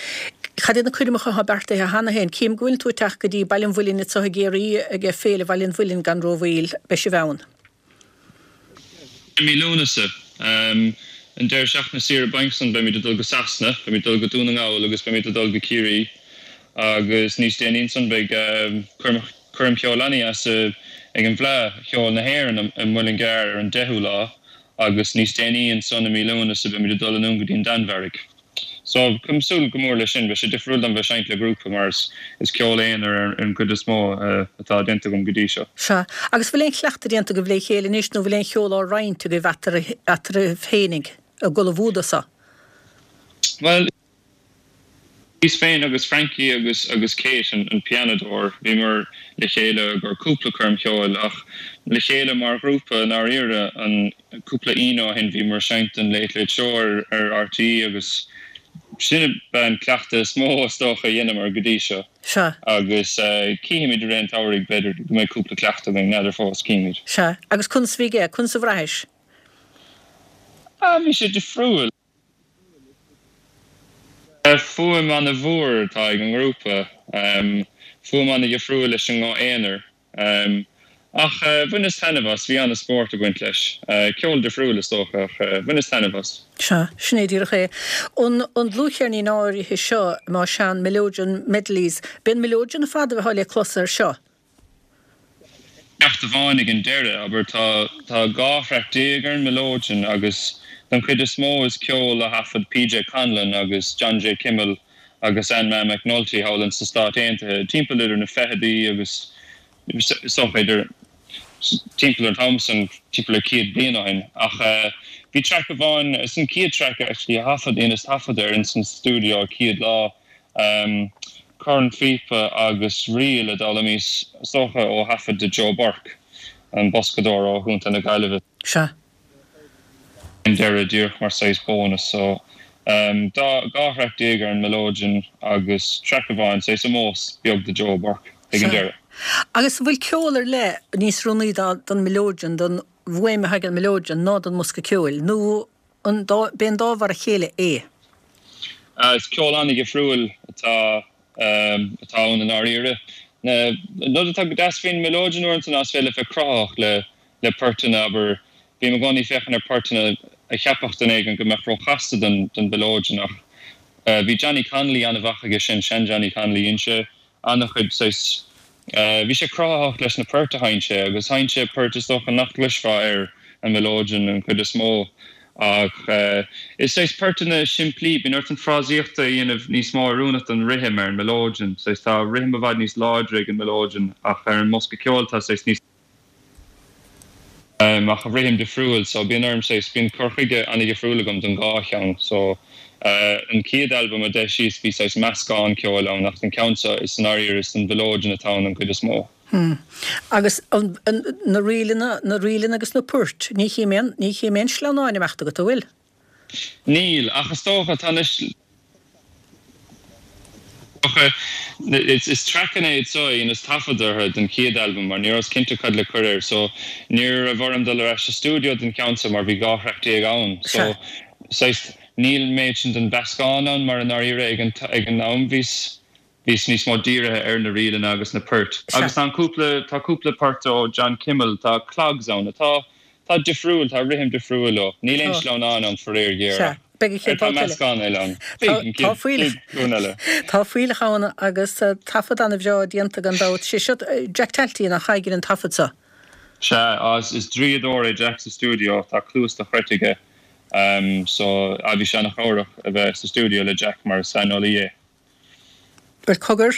Cad iad na coirmeacha atá beartaithe cheana féin? Cím go bhfuil tú ag teacht go dtí Baile an Mhuilinn anseo i gCiarraí ag Féile Bhaile an Mhuilinn gan rómhoill. Beidh sibh ann. I mí Lúnasa, an deireadh seachtaine saoire bainc san, beimid ag dul go Sasana, beimid ag dul go Dún na nGall agus beimid ag dul go Ciarraí agus níos déanaí ansan beidh coirm cheoil an-dheas ag an bhFleadh Cheoil na hÉireann i Muileann gCearr ar an deichiú lá agus níos déanaí ansan i mí Lúnasa beimid ag dul anonn go dtí an Danmhairg. So, táim ag súil go mór leis sin. Beidh sé difriúil dom bheith ag seinnt le grúpa mar is ceol aonair ar an gcuid is mó atá déanta agam go dtí seo. Sea. Agus bhfuil aon chleachtadh déanta agaibh le chéile anois nó bhfuil aon cheol á roinnt agaibh eatarthu féinig ag ullmhú dó so? Bhuel, bhíos féin agus Frankie agus agus Kate, an pianadóir, bhíomar le chéile i gcomhair cúpla coirm cheoil ach le chéile mar ghrúpa i ndáiríre an cúpla Aoine ó shin bhíomar ag seinnt don Late Late Show ar ar RTÉ agus sin ab ea an cleachtadh is mó is dócha a dheineamar go dtí seo. Sea. Agus cífimid i rith an tsamhraidh b'fhéidir go mbeidh cúpla cleachtadh againn, n'fheadar fós, cífimid. Sea. Agus conas a bhí aige? Conas a bhraithis? Ah, bhí sé difriúil. Fuaim ana-mhór atá ag an ngrúpa, fuaim ana-dhifriúil leis an nguth aonair. Ach bhaineas taitneamh as, bhí ana-spórt ag baint leis. Ceol difriúil is dócha ach bhaineas taitneamh as. Sea, sin é díreach é. An dlúthcheirnín áirithe seo, más ea, an Mileodeon Medleys, b'é an Mileodeon ar fad a bheadh le clos air seo. Ceacht amháin ag an deireadh, abair, tá tá dhá thraic déag ar an Mileoidean agus don chuid is mó is ceol a thaifead PJ Conlon agus John J. Kimmel agus Ann Ma McNulty thall ins na Stáit Aontaithe timpeall idir na fichidí agus is dócha idir timpeall an t-am san timpeall ar céad bliain ó shin. Ach bhí traic amháin, is an chéad traic actually a thaifead, dheineas taifead air ins an stiúideo an chéad lá, cornphíopa agus ríl a d'fhoghlaimíos is dócha ó thaifead de Joe Burke, an boscadóir ó Chontae na Gaillimhe. Sea. an deireadh díreach mar saghas bónas so dá dhá thraic déag ar an Mileoidean agus traic amháin saghas ómós beag do Joe Burke ag an Sea. deireadh. Agus an bhfuil ceol ar leith níos oiriúnaí don Mileoidean, don bhfuaim atá ag an Mileoidean ná don mbosca ceoil, nó an dá, b'é an dá mhar a chéile é? Is ceol an-dhifriúil atá atá ann i ndáiríre. An rud atá go deas faoin Mileoidean uaireanta ná is féidir leat bheith cruthaitheach le le poirteanna, abair, bím i gcónaí ag féachaint ar poirteanna a cheapfadh duine éigin go mbeadh róchasta don don Mhileoidean ach bhí Johnny Connolly an-mhaith aige sin, sean-Johnny Connolly, dhein sé an-chuid saghas, bhí sé cruthaitheach leis na poirt a sheinn sé agus sheinn sé poirt is dócha nach gcloisfeá ar an Mhileoidean an chuid is mó ach is saghas poirteanna simplí, bíonn ort an frásaíocht a dhéanamh níos mó oiriúnach don rithim ar an Mileoidean, saghas tá rithim i bhfad níos láidre ag an Mileoidean ach ar an mbosca ceoil tá saghas níos. ach rithim difriúil so bíonn orm saghas, bíonn cur chuige an-dhifriúil agam don dhá cheann so an chéad albam a d'eisíos bhí saghas meascán ceoil ann ach an ceann seo is i ndáiríre is don mhileoidean atá ann an chuid is mó. Hmm. Agus an, an, na ríleanna, na ríleanna agus na poirt, ní chím aon, ní chím aon sleamhnáin ag imeacht agat, an bhfuil? Níl, ach is dócha, tá anois, Is traiceanna iad seo a dheineas taifead orthu don chéad albam mar ní rabhas cinnte cad le cur air so ní raibh orm dul ar ais sa stiúideo don cheann seo mar bhí dhá thraic déag ann so saghas níl an méid sin den mheascán ann mar i ndáiríre ag an ag an am bhíos bhíos níos mó dírithe ar na ríleanna agus na poirt. Agus tá an cúpla tá cúpla port ó John Kimmel tá clogs ann atá tá difriúil tá rithim difriúil leo. Níl aon sleamhnán ann faraor géar ach. Beidh an chéad Tá babhta eile. meascán eile ann. Beidh an Tá chéad fuílleach glúin eile. Tá fuílleach ann agus taifead an-bhreá déanta gan dabht. Sé seo Jack Talty nach oibrigh an taifead seo. Sea, is is draíodóir é Jack sa stiúideo, tá cluas dochreidte aige. So, ah bhí sé an-chabhrach a bheith sa stiúideo le Jack mar is saineolaí é. Bhuel, cogar,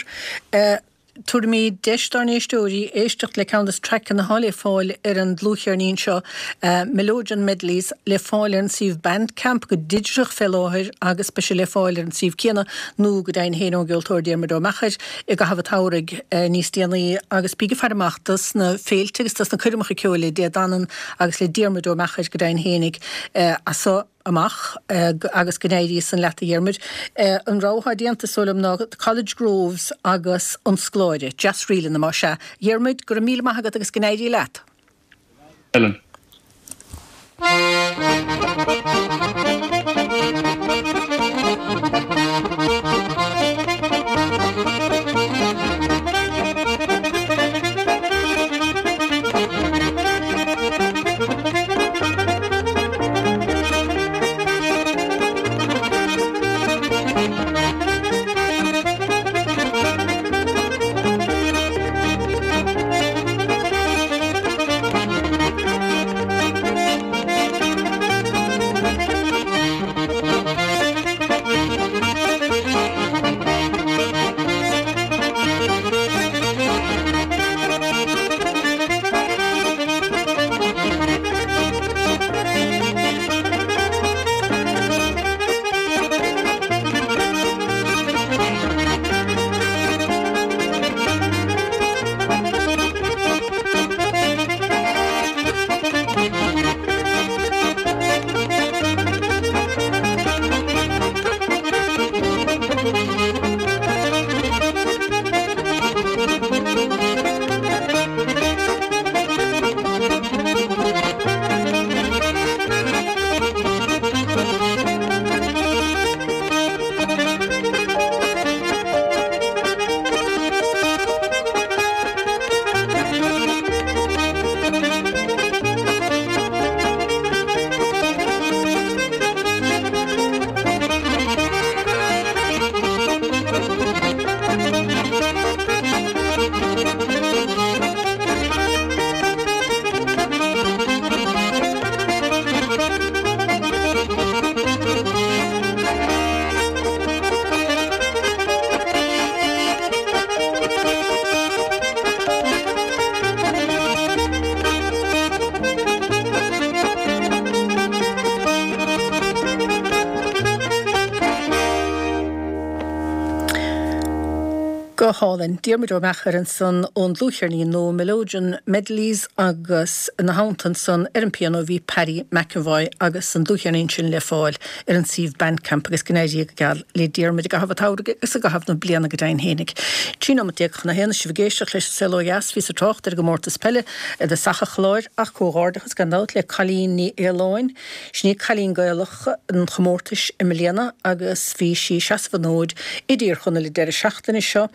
Tabharfaimid deis dár n-éisteoirí éisteacht le ceann de na traiceanna atá le fáil ar an dlúthcheirnín seo, Mileoidean Medleys, le fáil ar an suíomh Bandcamp go digiteach fé láthair agus beidh sé le fáil ar an suíomh céanna nó go deimhin féin ón gceoltóir Diarmuid Ó Meachair i gcaitheamh an tsamhraidh níos déanaí agus bígí ag faire amach dos na féilte agus dos na coirmeacha ceoil le Dé Danann agus le Diarmuid Ó Meachair go deimhin féinig as so amach agus go n-éirí san leat a Dhiarmuid. An rogha atá déanta is dóigh liom ná College Groves agus An Scoláire. Deas-ríleanna más ea. A Dhiarmuid, go raibh míle maith agat agus go n-éirí leat. Helen. Go hálainn. Diarmuid Ó Meachair ansan ón dlúthcheirnín nua Melodeon Medleys agus ina theannta ansan ar an pianó bhí Paddy McEvoy agus an dlúthcheirnín sin le fáil ar an suíomh Bandcamp agus go n-éirí go geal le Diarmuid i gcaitheamh an tsamhraidh agus i gcaitheamh na bliana go deimhin fhéinig. Trí nóiméad déag chun a haon sibh ag éisteacht leis an Saol Ó Dheas bhíos ag trácht ar an gcomórtas peile i dtosach an chláir ach comhghairdeachas gan dabht le Colleen Ní Fhaoláin. Sin í Cailín Gaelach an chomórtais i mbliana agus bhí sí ag seasamh an fhóid i dTír Chonaill an deireadh seachtaine seo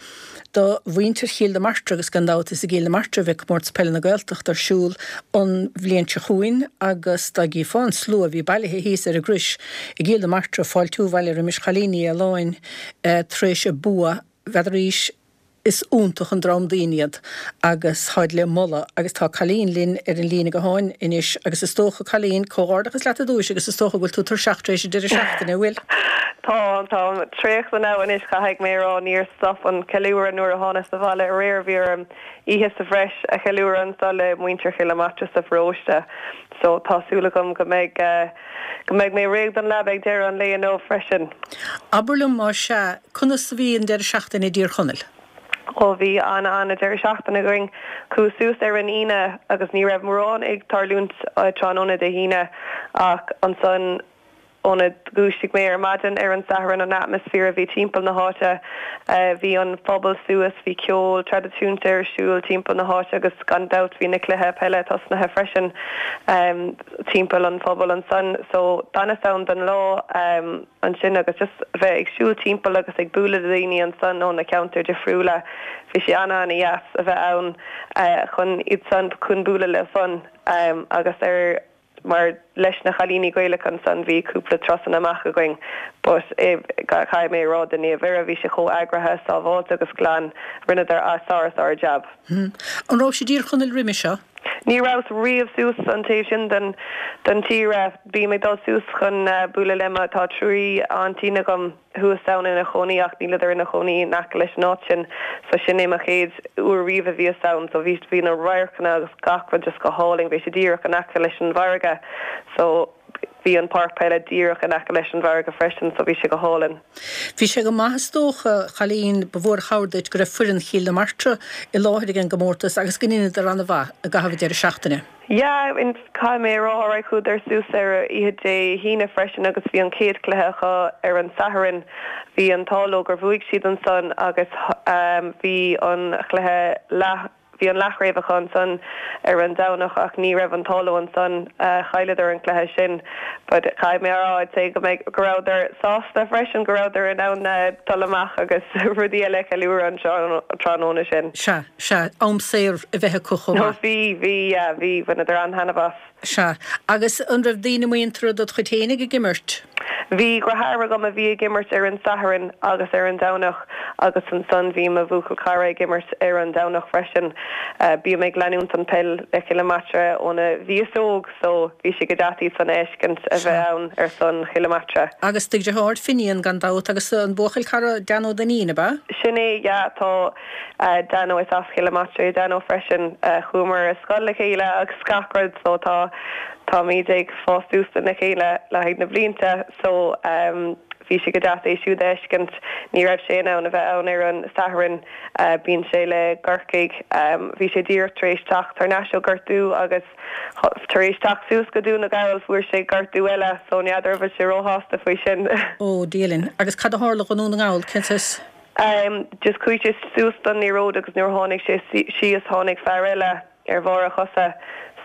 do mhuintir Chill na Martra agus gan dabht is i gCill na Martra a bheidh Comórtas Peile na Gaeltachta ar siúl an bhliain seo chugainn agus dá gcífeá an slua a bhí bailithe thíos ar an gCrois i gCill na Martra ag fáiltiú abhaile roimis Chailín Ní Fhaoláin tar éis a bua, n'fheadaraís. Is iontach an dream daoine iad agus táid le moladh agus tá Colleen linn ar an líne gutháin anois agus is dócha, Colleen, comhghairdeachas leat ar dtúis agus is dócha go bhfuil tú tuirseach tar éis an deireadh seachtaine, an bhfuil? Tá, táim traochta now anois, caithfidh mé a rá, níor stop an ceiliúradh nuair a thánas abhaile aréir, bhí orm oíche sa bhreis a cheiliúradh anso le muintir Chill na Martra sa pharóiste so tá súil agam go mbeidh, go mbeidh mé réidh don leaba ag deireadh an lae inniu freisin. Abair liom más ea, conas a bhí an deireadh seachtaine i dTír Chonaill? Ó bhí an-an-deireadh seachtaine againn. Chuas suas ar an Aoine agus ní raibh mórán ag tarlúint tráthnóna Dé hAoine ach ansan óna dhúisigh mé ar maidin ar an Satharn an atmaisféar a bhí timpeall na háite, bhí an phobal suas, bhí ceol traidisiúnta ar siúl timpeall na háite agus gan dabht bhí na cluiche peile tosnaithe freisin timpeall an phobail ansan. So d'fhanas ann don lá. ansin agus just bheith ag siúl timpeall agus ag bualadh le daoine ansan ó na ceantair difriúla, bhí sé ana-ana-dheas a bheith ann chun iad san, chun bualadh leo san agus ar mar leis na chailíní Gaelacha ansan bhí cúpla turasanna amach againn but caithfidh mé a rá do Naomh Mhuire bhí sé chomh eagraithe, sábháilte agus glan, rinneadar a sár-sár jab. An raibh sibh i dTír Chonaill roimhe seo? Ní rabhas riamh suas an taobh sin den den tír. Bím ag dul suas chun bualadh le mo, tá trí aintín agam thuas ann ina chónaí ach níleadar ina chónaí in aice leis an áit sin so sin é mo chéad uair riamh a bhíos ann so bhí bhí na radharcanna agus gach rud just go hálainn, bhí sé díreach in aice leis an bhfarraige so bhí an páirc peile díreach in aice leis an bhfarraige freisin so bhí sé go hálainn. Bhí sé go maith is dócha, a Cholleen, ba mhór an chabhair duit go raibh foireann Chill na Martra i láthair ag an gcomórtas agus go ndeineadar an-mhaith i gcaitheamh an deireadh seachtaine. Yeah, caithfidh mé a rá, alright, chuadar suas ar oíche Dé hAoine freisin agus bhí an chéad chluiche acu ar an Satharn. Bhí an t-ádh leo gur bhuaigh siad ansan agus bhí an chluiche leath, Bhí an leathchraobh acu ansan ar an Domhnach ach ní raibh an t-ádh leo ansan, chailleadar an cluiche sin. But caithfidh mé a rá, I'd say go mbeidh, go rabhadar sásta freisin go rabhadar in ann dul amach agus rudaí eile a cheiliúradh an tráthnóna sin. Sea, sea, am saor a bheith acu chomh maith. Bhí, bhí, yeah, bhí, bhaineadar an-taitneamh as. Sea. Agus an raibh daoine muinteartha dod chuid fhéinig ag imirt? Bhí deartháir agam a bhí ag imirt ar an Satharn agus ar an Domhnach agus ansan bhí mo bhuachaill cara ag imirt ar an Domhnach freisin. Bím ag leanúint an peil le Cill na Martra óna bhíos óg so bhí sé go deas iad san a fheiscint a bheith ann ar son Chill na Martra. Agus do dheartháir Finian gan dabht agus an buachaill cara Dan Ó Duinnín, ab ea? Sin é, yeah, tá. Dano is as Cill na Martra é Dano freisin. Chuamar ar scoil le chéile agus gach rud so tá táimid ag fás suas lena chéile le haghaidh na blianta so bhí sé go deas é siúd a fheiscint. Ní raibh sé in ann a bheith ann ar an Satharn, bíonn sé le gCorcaigh. Bhí sé díreach tar éis teacht thar n-ais ó gortú agus tar éis teacht suas go Dún na Gall fuair sé gortú eile so n'fheadar an bhfuil sé róshásta faoi sin. Ó, Dia linn. Agus cad a tharla dho i nDún na nGall, cén saghas? Just chuaigh sé suas don liathróid agus nuair a tháinig sé síos tháinig fear eile ar bharr a chosa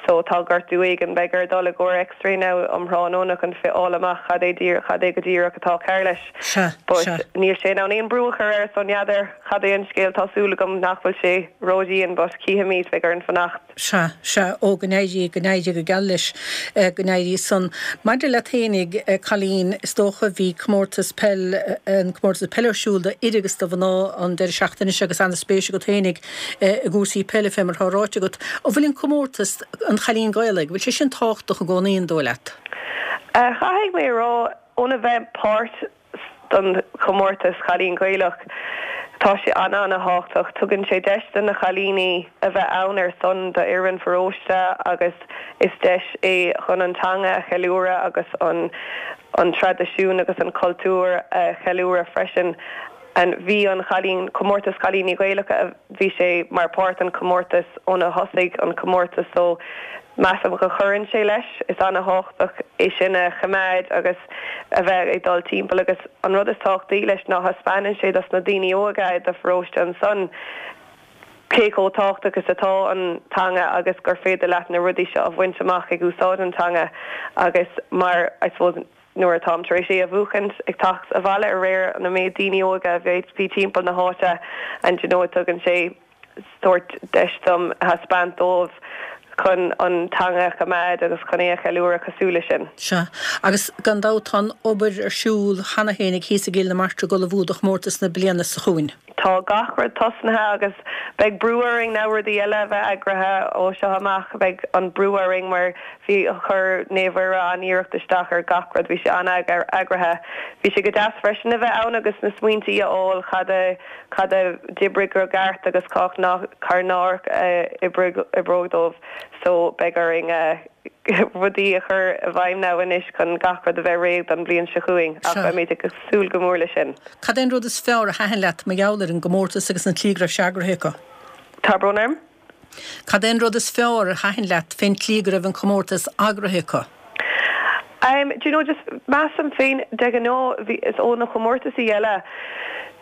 so tá gortú éigin. Beidh air dul i gcomhair x-ray now um thráthnóna chun fáil amach cad é díreach cad é go díreach atá cearr leis. Sea, But sea. níl sé in ann aon brú a chur air so n'fheadar cad é an scéal. Tá súil agam nach bhfuil sé ródhian but cífimid, beidh orainn fanacht. Sea, sea, ó, go n-éirí, go n-éirí go geal leis, go n-éirí san. Maidir leat fhéinig, Colleen, is dócha, bhí comórtas peil, an comórtas peile ar siúl do fhir agus do mhná an deireadh seachtaine seo agus ana-spéis agat fhéinig i gcúrsaí peile, fé mar atá ráite agat. An bhfuil an comórtas, an Chailín Gaelach, bhfuil sé sin tábhachtach i gcónaí, an dóigh leat? Caithfidh mé a rá, óna bheith páirt don chomórtas Chailín Gaelach. Tá sé an-an-thábhachtach. Tugann sé deis do na chailíní a bheith ann ar son do fhoireann pharóiste agus is deis é chun an teanga a cheiliúradh agus an an traidisiún agus an cultúr a cheiliúradh freisin. And bhí an chailín comórtas cailíní Gaelacha bhí sé mar páirt an comórtas óna thosaigh an comórtas so measaim go chuireann sé leis is an-tábhachtach é sin a choimeád agus a bheith ag dul timpeall agus an rud is tábhachtaí leis ná thaispeánann sé dos na daoine óga i do pharóiste ansan cé chomh tábhachtach is atá an teanga agus gur féidir leat na rudaí seo a bhaint amach ag úsáid an teanga agus mar I suppose nuair atáim tar éis é a bhuachaint ag teacht abhaile aréir na méid daoine óga a bhí timpeall na háite and you know tugann sé sórt deis dom thaispeáint dóibh chun an teanga a choimeád agus chun é a cheiliúradh cosúil leis sin. Sea, agus gan dabht tá an obair ar siúl cheana féin ag thíos i gCill na Martra ag ullmhú do chomórtas na bliana seo chugainn. Tá gach rud tosnaithe agus beidh brú orainn na rudaí eile a bheith eagraithe ó seo amach, beidh an brú orainn mar bhí chuir Naomh Mhuire an-iarracht isteach ar gach rud, bhí sé an-eagraithe. Bhí sé go deas freisin a bheith ann agus na smaointí a fháil cad a cad a d'oibrigh go ceart agus cá nach cár nár oibrigh oibreoidh dóibh so beidh orainn rudaí a chur i bhfeidhm now anois chun gach rud a bheith réidh don bhliain seo chugainn ach beimid ag súil go mór leis sin. Cad é an rud is fearr a thaitin leat mar gheall ar an gcomórtas agus an tslí go raibh sé eagraithe acu? Tá brón orm? Cad é an rud is fearr a thaitin leat fén tslí go raibh an comórtas eagraithe acu? Um, do you know, just measaim féin de ghnáth bhí is ó na comórtasaí eile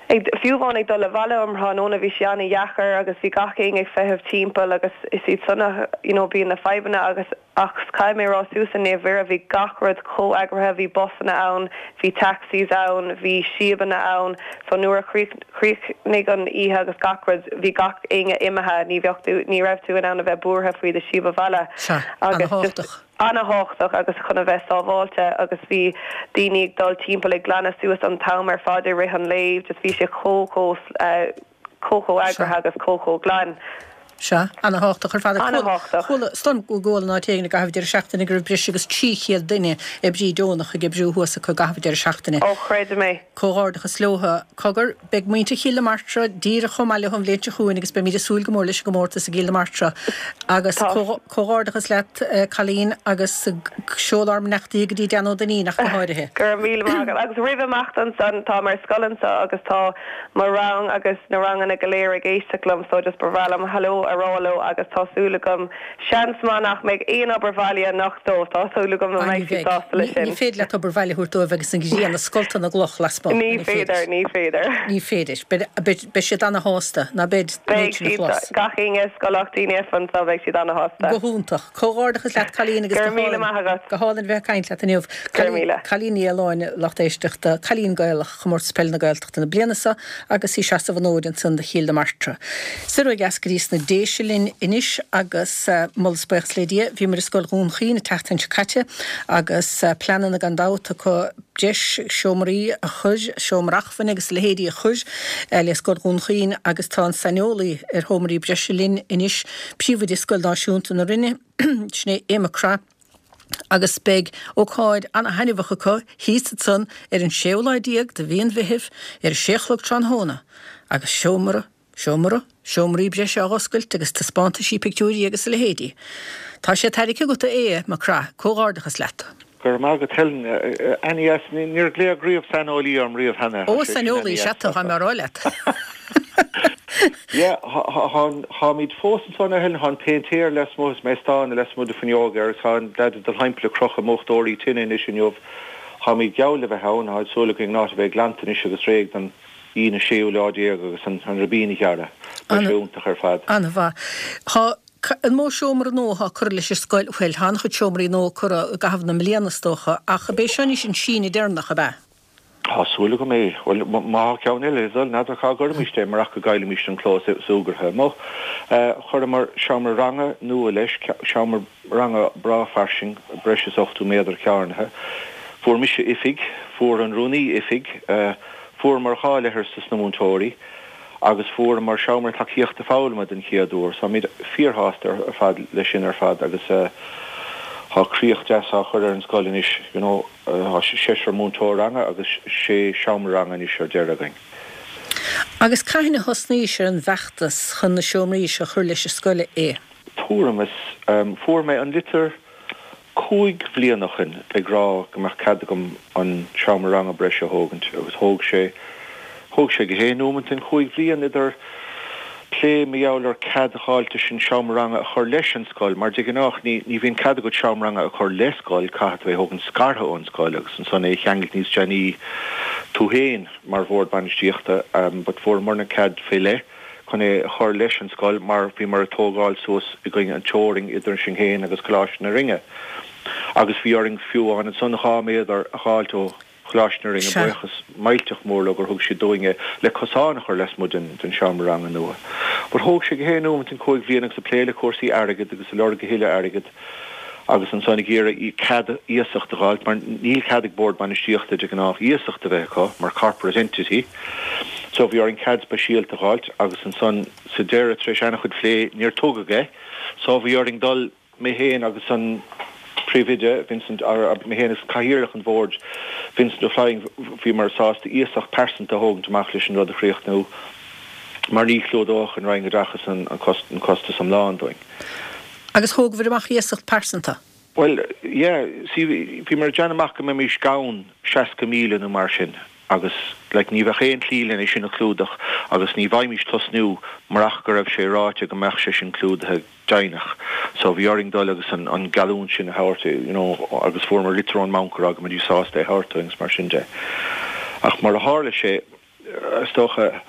ag fiú amháin ag dul abhaile um thráthnóna bhí sé an-dheacair agus bhí gach éinne ag feitheamh timpeall agus is iad san you know, bíonn na fadhbanna agus ach caithfidh mé rá suas in Naomh Mhuire bhí gach rud chomh eagraithe bhí busanna ann bhí taxis ann bhí síobanna ann so nuair a chríochnaigh an oíche agus gach rud bhí gach éinne imithe ní bheadh tú ní raibh tú in ann a bheith buartha faoi do síob abhaile agus just an-tábhachtach agus chun a bheith sábháilte agus bhí daoine ag dul timpeall ag glanadh suas an t-am ar fad i rith an lae just bhí sé chomh chomh chomh chomh eagraithe agus chomh chomh glan. Sea, an-tábhachtach ar fad. An-tábhachtach. Chuala storm go gcuala ná téigh i gcaitheamh deireadh seachtaine go raibh breis agus trí chéad duine oibrí deonach ag oibriú thuas acu i gcaitheamh deireadh seachtaine. Ó chreidim é. Comhghairdeachas leo. Cogar, beidh muintir Chill na Martra díreach chomh maith leo an bhliain seo chugainn agus beimid ag súil go mór leis an gcomórtas i gCill na Martra. Agus comhghairdeachas leat Colleen agus seol ár mbeannachtaí go dtí Dan Ó Duinnín ach go háirithe. Go raibh míle maith agat. Agus roimh imeacht ansan tá mar scoil anseo agus tá mo rang agus na ranganna go léir ag éisteacht liom so just ba bhreá liom hello a rá leo agus tá súil agam seans maith nach mbeidh aon obair bhaile anocht dóibh tá súil agam go mbeidh siad sásta leis sin. Ní féidir leat obair bhaile a thabhairt dóibh agus an ghrian ag scoltadh na gcloch lasmuigh. Ní féidir, ní féidir. Ní féidir. Beidh siad ana-shásta ná beidh Beidh siad gach éinne scoil daoine anseo beidh siad ana-shásta. Go hiontach. Comhghairdeachas leat Colleen agus Go raibh míle maith agat. Go hálainn bheith ag caint leat inniu. Go raibh míle. Colleen Ní Fhaoláin lucht éisteachta, Cailín Gaelach Chomórtas Peile na Gaeltachta na bliana seo agus í ag seasamh an fhóid ansan do Chill na Martra. Soir ó dheas go dtí sna Déise linn anois agus moladh is buíochas le Dia, bhíomar i Scoil Dhún Chaoin an tseachtain seo caite agus pleananna gan dabht acu breis seomraí a chur, seomra acmhainne agus a leithéidí a chur le Scoil Dhún Chaoin agus tá an saineolaí ar sheomraí breise linn anois, príomhoide Scoil Náisiúnta na Rinne, sin é Aodh Mac Craith. Agus beidh ócáid ana-thaitneamhach acu thíos ansan ar an séú lá déag de mhí an Mheithimh ar a sé a chlog tráthnóna agus seomra, seomra, seomraí breise á dh'oscailt agus taispeántaisí pictiúirí agus a leithéidí. Tá sé tairgthe agat a Aodh Mac Craith, comhghairdeachas leat. Go raibh maith agat Helen. Ana-dheas, níor glaodh riamh saineolaí orm riamh cheana. Ó, saineolaí, sea tá mé a rá leat. Yeah, táimid fós ansan a Helen, tá an péintéir lasmuigh is mé ag stánadh lasmuigh de fuinneog air agus tá an leaid ag dul thimpeall ag crochadh múchtóirí tine anois inniu. Táimid geall le bheith ann, tá súil againn an áit a bheith glanta anois agus réidh don Aoine séú lá déag agus an ribín a ghearradh. Beidh sé iontach ar fad. An-mhaith. Tá an mó seomra nua atá curtha leis an scoil, bhuel, tá an-chuid seomraí nua curtha i gcaitheamh na mbliana is dócha, ach ab é seo anois an síneadh deireanach, ab ea? Tá súil agam é. Bhuel, má tá ceann eile le dul, n'fheadar cá gcuirfimís é marach go gcaillfimís an clós súgartha amuigh. Chuireamar seomra ranga nua leis, seomra ranga breá fairsing, breis is ochtó méadar cearnaithe. Fuair mise oifig, fuair an rúnaí oifig, fuaireamar dhá leithreas dos na múinteoirí agus fuaireamar seomra tacaíochta foghlama den chéad uair. So táimid fíorshásta ar fad leis sin ar fad agus tá críoch deas á chur ar an scoil anois, you know. Tá seisear múinteoir ranga agus sé seomra ranga anois ar deireadh againn. Agus cathain a thosnaís ar an bhfeachtas chun na seomraí seo a chur leis an scoil, a Aodh? Tuairim is, fuair mé an litir cúig bhliain ó shin ag rá go mbeadh cead agam an seomra ranga breise a thógaint agus thóg sé Thóg sé go haon nóimeant an chúig bhliain idir plé mar gheall ar cead a fháilt leis an seomra ranga a chur leis an scoil, mar de ghnáth ní ní bhíonn cead agat seomra ranga a chur le scoil, caithfidh tú é a thógaint scartha ón scoil agus ansan é a cheangailt níos déanaí tú féin mar bhord bainistíochta, but fuaireamarna cead fé leith chun é a chur leis an scoil mar bhíomar ag tógáil suas i gcoinne an teorainn idir sinn féin agus Coláiste na Rinne agus bhí orainn fiú amháin ansan dhá méadar a dh'fháilt ó Choláiste na Rinne, buíochas millteach mór leo gur thug siad dúinn é le cosán a chur lasmuigh den den seomra ranga nua. But thóg sé go haon nóimeant an cúig bhliain agus ag plé le cúrsaí airgid agus ag lorg a thuilleadh airgid agus ansan ag iarraidh cead iasacht a dh'fháilt mar níl cead ag bord bainistíochta de ghnáth iasacht a bheith acu mar corporate entity so bhí orainn cead speisialta a dh'fháilt agus ansan sa deireadh tar éis ana-chuid phlé níor tugadh é so bhí orainn dul mé féin agus an príomhoide Vincent or mé féin agus cathaoirleach an bhoird Vincent Ó Floinn bhíomar sásta iasacht pearsanta a thógaint amach leis an rud a chríochnú mar ní chlúdódh an Roinn Oideachais an an costas iomlán dúinn. Agus thógabhair amach iasacht pearsanta? Bhuel, yeah, see, bhíomar ag déanamh amach go mbeimis gann seasca míle nó mar sin agus like ní bheadh aon tslí len é sin a chlúdach agus ní bhfaighimís tosnú murach go raibh sé ráite go mbeadh sé sin clúdaithe deimhneach. So bhí orainn dul agus an an geallúint sin a thabhairt you know agus fuaireamar litir ón mbanc a rá go mbeidís sásta é a thabhairt dúinn agus mar sin de. Ach mar a tharla sé, is dócha,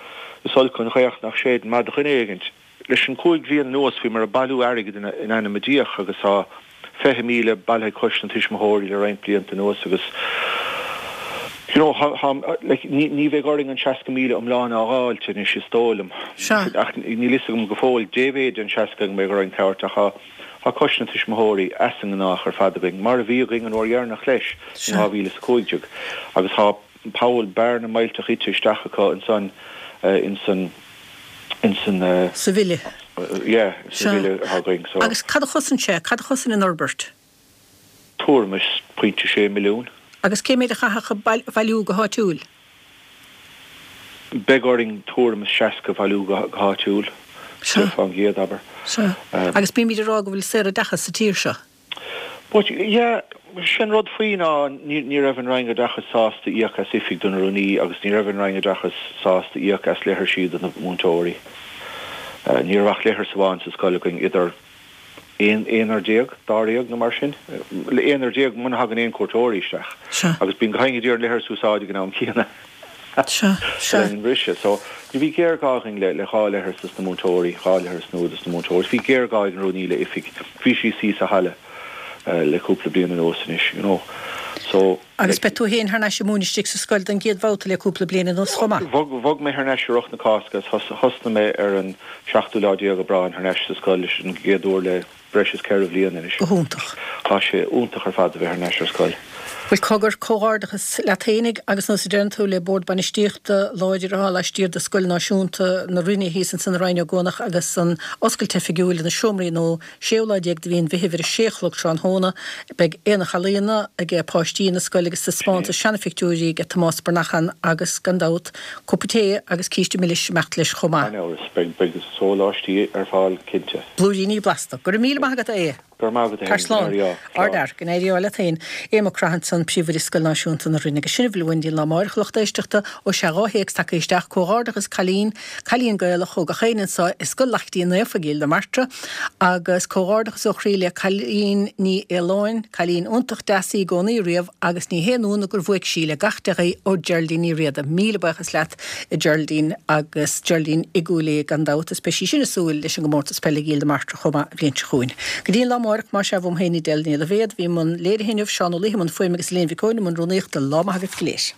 is olc an ghaoth nach séideann maith do dhuine éigint. Leis an cúig bhliain anuas bhíomar ag bailiú airgid in ainm a Dia agus tá fiche míle bailithe ag Coiste na Tuismitheoirí le roinnt blianta anuas agus you know tá like ní ní bheidh orainn an seasca míle iomlán a dh'fháilt anois is dóigh liom. Sea. Ach níl fhios agam go fóill dé mhéid den seasca go mbeidh orainn tabhairt ach tá tá Coiste na Tuismitheoirí as an ngnách ar fad againn mar a bhí againn an uair dheireanach leis in Sea. dhá mhíle is a cúig déag agus tá poll bearna millteach ite isteach acu ansan insan insan. Sa bhille. Yeah, sa Sea. bhille atá againn so. Agus cad a chosain sé? Cad a chosain an fhorbairt? Tuairim is pointe sé milliún. Agus cé mhéad a chaithfeadh a bhailiú go háitiúil? Beidh orainn tuairim is seasca a bhailiú go háitiúil, Sea. fán gcéad, abair. Sea. Agus bímid ag rá go bhfuil saoroideachas sa tír seo. But, yeah, sin rud faoi ná ní raibh an Roinn Oideachais sásta íoc as oifig don rúnaí agus ní raibh an Roinn Oideachais sásta íoc as leithrisí do na múinteoirí. Ní raibh ach leithreas amháin sa scoil againn idir aon aonar déag, dáréag nó mar sin. Aonar déag muna thagann aon cuairteoirí isteach. Sea. Agus bíonn gach éinne ag iarraidh an leithreas a úsáid ag an am céanna. Sea, sea. Le linn an bhriseadh. So, ní bhí géarghá againn le le dhá leithreas dos na múinteoirí, dhá leithreas nua dos na múinteoirí. Bhí géarghá ag an rúnaí le oifig. Bhí sí suí sa halla le cúpla bliain anuas anois, you know. So, Agus like. beidh tú féin thar n-ais ag múineadh istigh sa scoil don gcéad bhabhta le cúpla bliain anuas chomh maith. Bhog, bhog mé thar n-ais i rith na Cásca agus thosnaigh mé ar an seachtú lá déag Aibreán thar n-ais sa scoil leis an gcéad uair le breis is ceithre bhliain anois. Go hiontach. Tá sé iontach ar fad a bheith thar n-ais ar scoil. Bhuel, cogar, comhghairdeachas leat fhéinig agus nós a deireann tú le Bord Bainistíochta láidir atá laistiar de Scoil Náisiúnta na Rinne thíos ansan i Rinn Ó gCuanach agus an oscailt oifigiúil na seomraí nua séú lá déag de mhí an Mheithimh ar a sé a chlog tráthnóna. Beidh aonach ealaíona ag páistí na scoile agus taispeántas seanaphictiúirí ag Tomás Bernachan agus gan dabht cupa tae agus císte milis ag imeacht leis chomh maith. Gan amhras, beidh beidh sóláistí ar fáil cinnte. Blúiríní blasta. Go raibh míle maith agat a Aodha. Go raibh maith agat Tar féin, go slán. n-éirí ádh. Slán. Ardfhear, go n-éirí ádh leat féin. Aodh Mac Craith ansan, Príomhoide Scoil Náisiúnta na Rinne. Agus sin a bhfuil uainn don lá amárach, a lucht éisteachta, ó sea dhá théacs tagtha isteach, Comhghairdeachas Cailín, Cailín Gaelach ó gach éinne anseo i Scoil Laichtín Naofa i gCill na Martra agus comhghairdeachas ó chroí le Cailín Ní Fhaoláin, cailín iontach deas í i gcónaí riamh agus ní haon ionadh gur bhuaigh sí le gach dea-ghuí ó Geraldine Ní Riada. Míle buíochas leat a Geraldine agus Geraldine i gCúil Aodha gan dabht is beidh sí sin ag súil leis an gcomórtas peile i gCill na Martra chomh maith an bhliain seo chugainn. Go dtí an lá amárach, más ea, uaim féin Edel Ní Loibhéad, bhí i mbun léirithe inniu, Seán Ó Laoithe i mbun fuaime agus Elaine Mhic Eoin i mbun rúnaíochta. Lá maith agaibh go léir.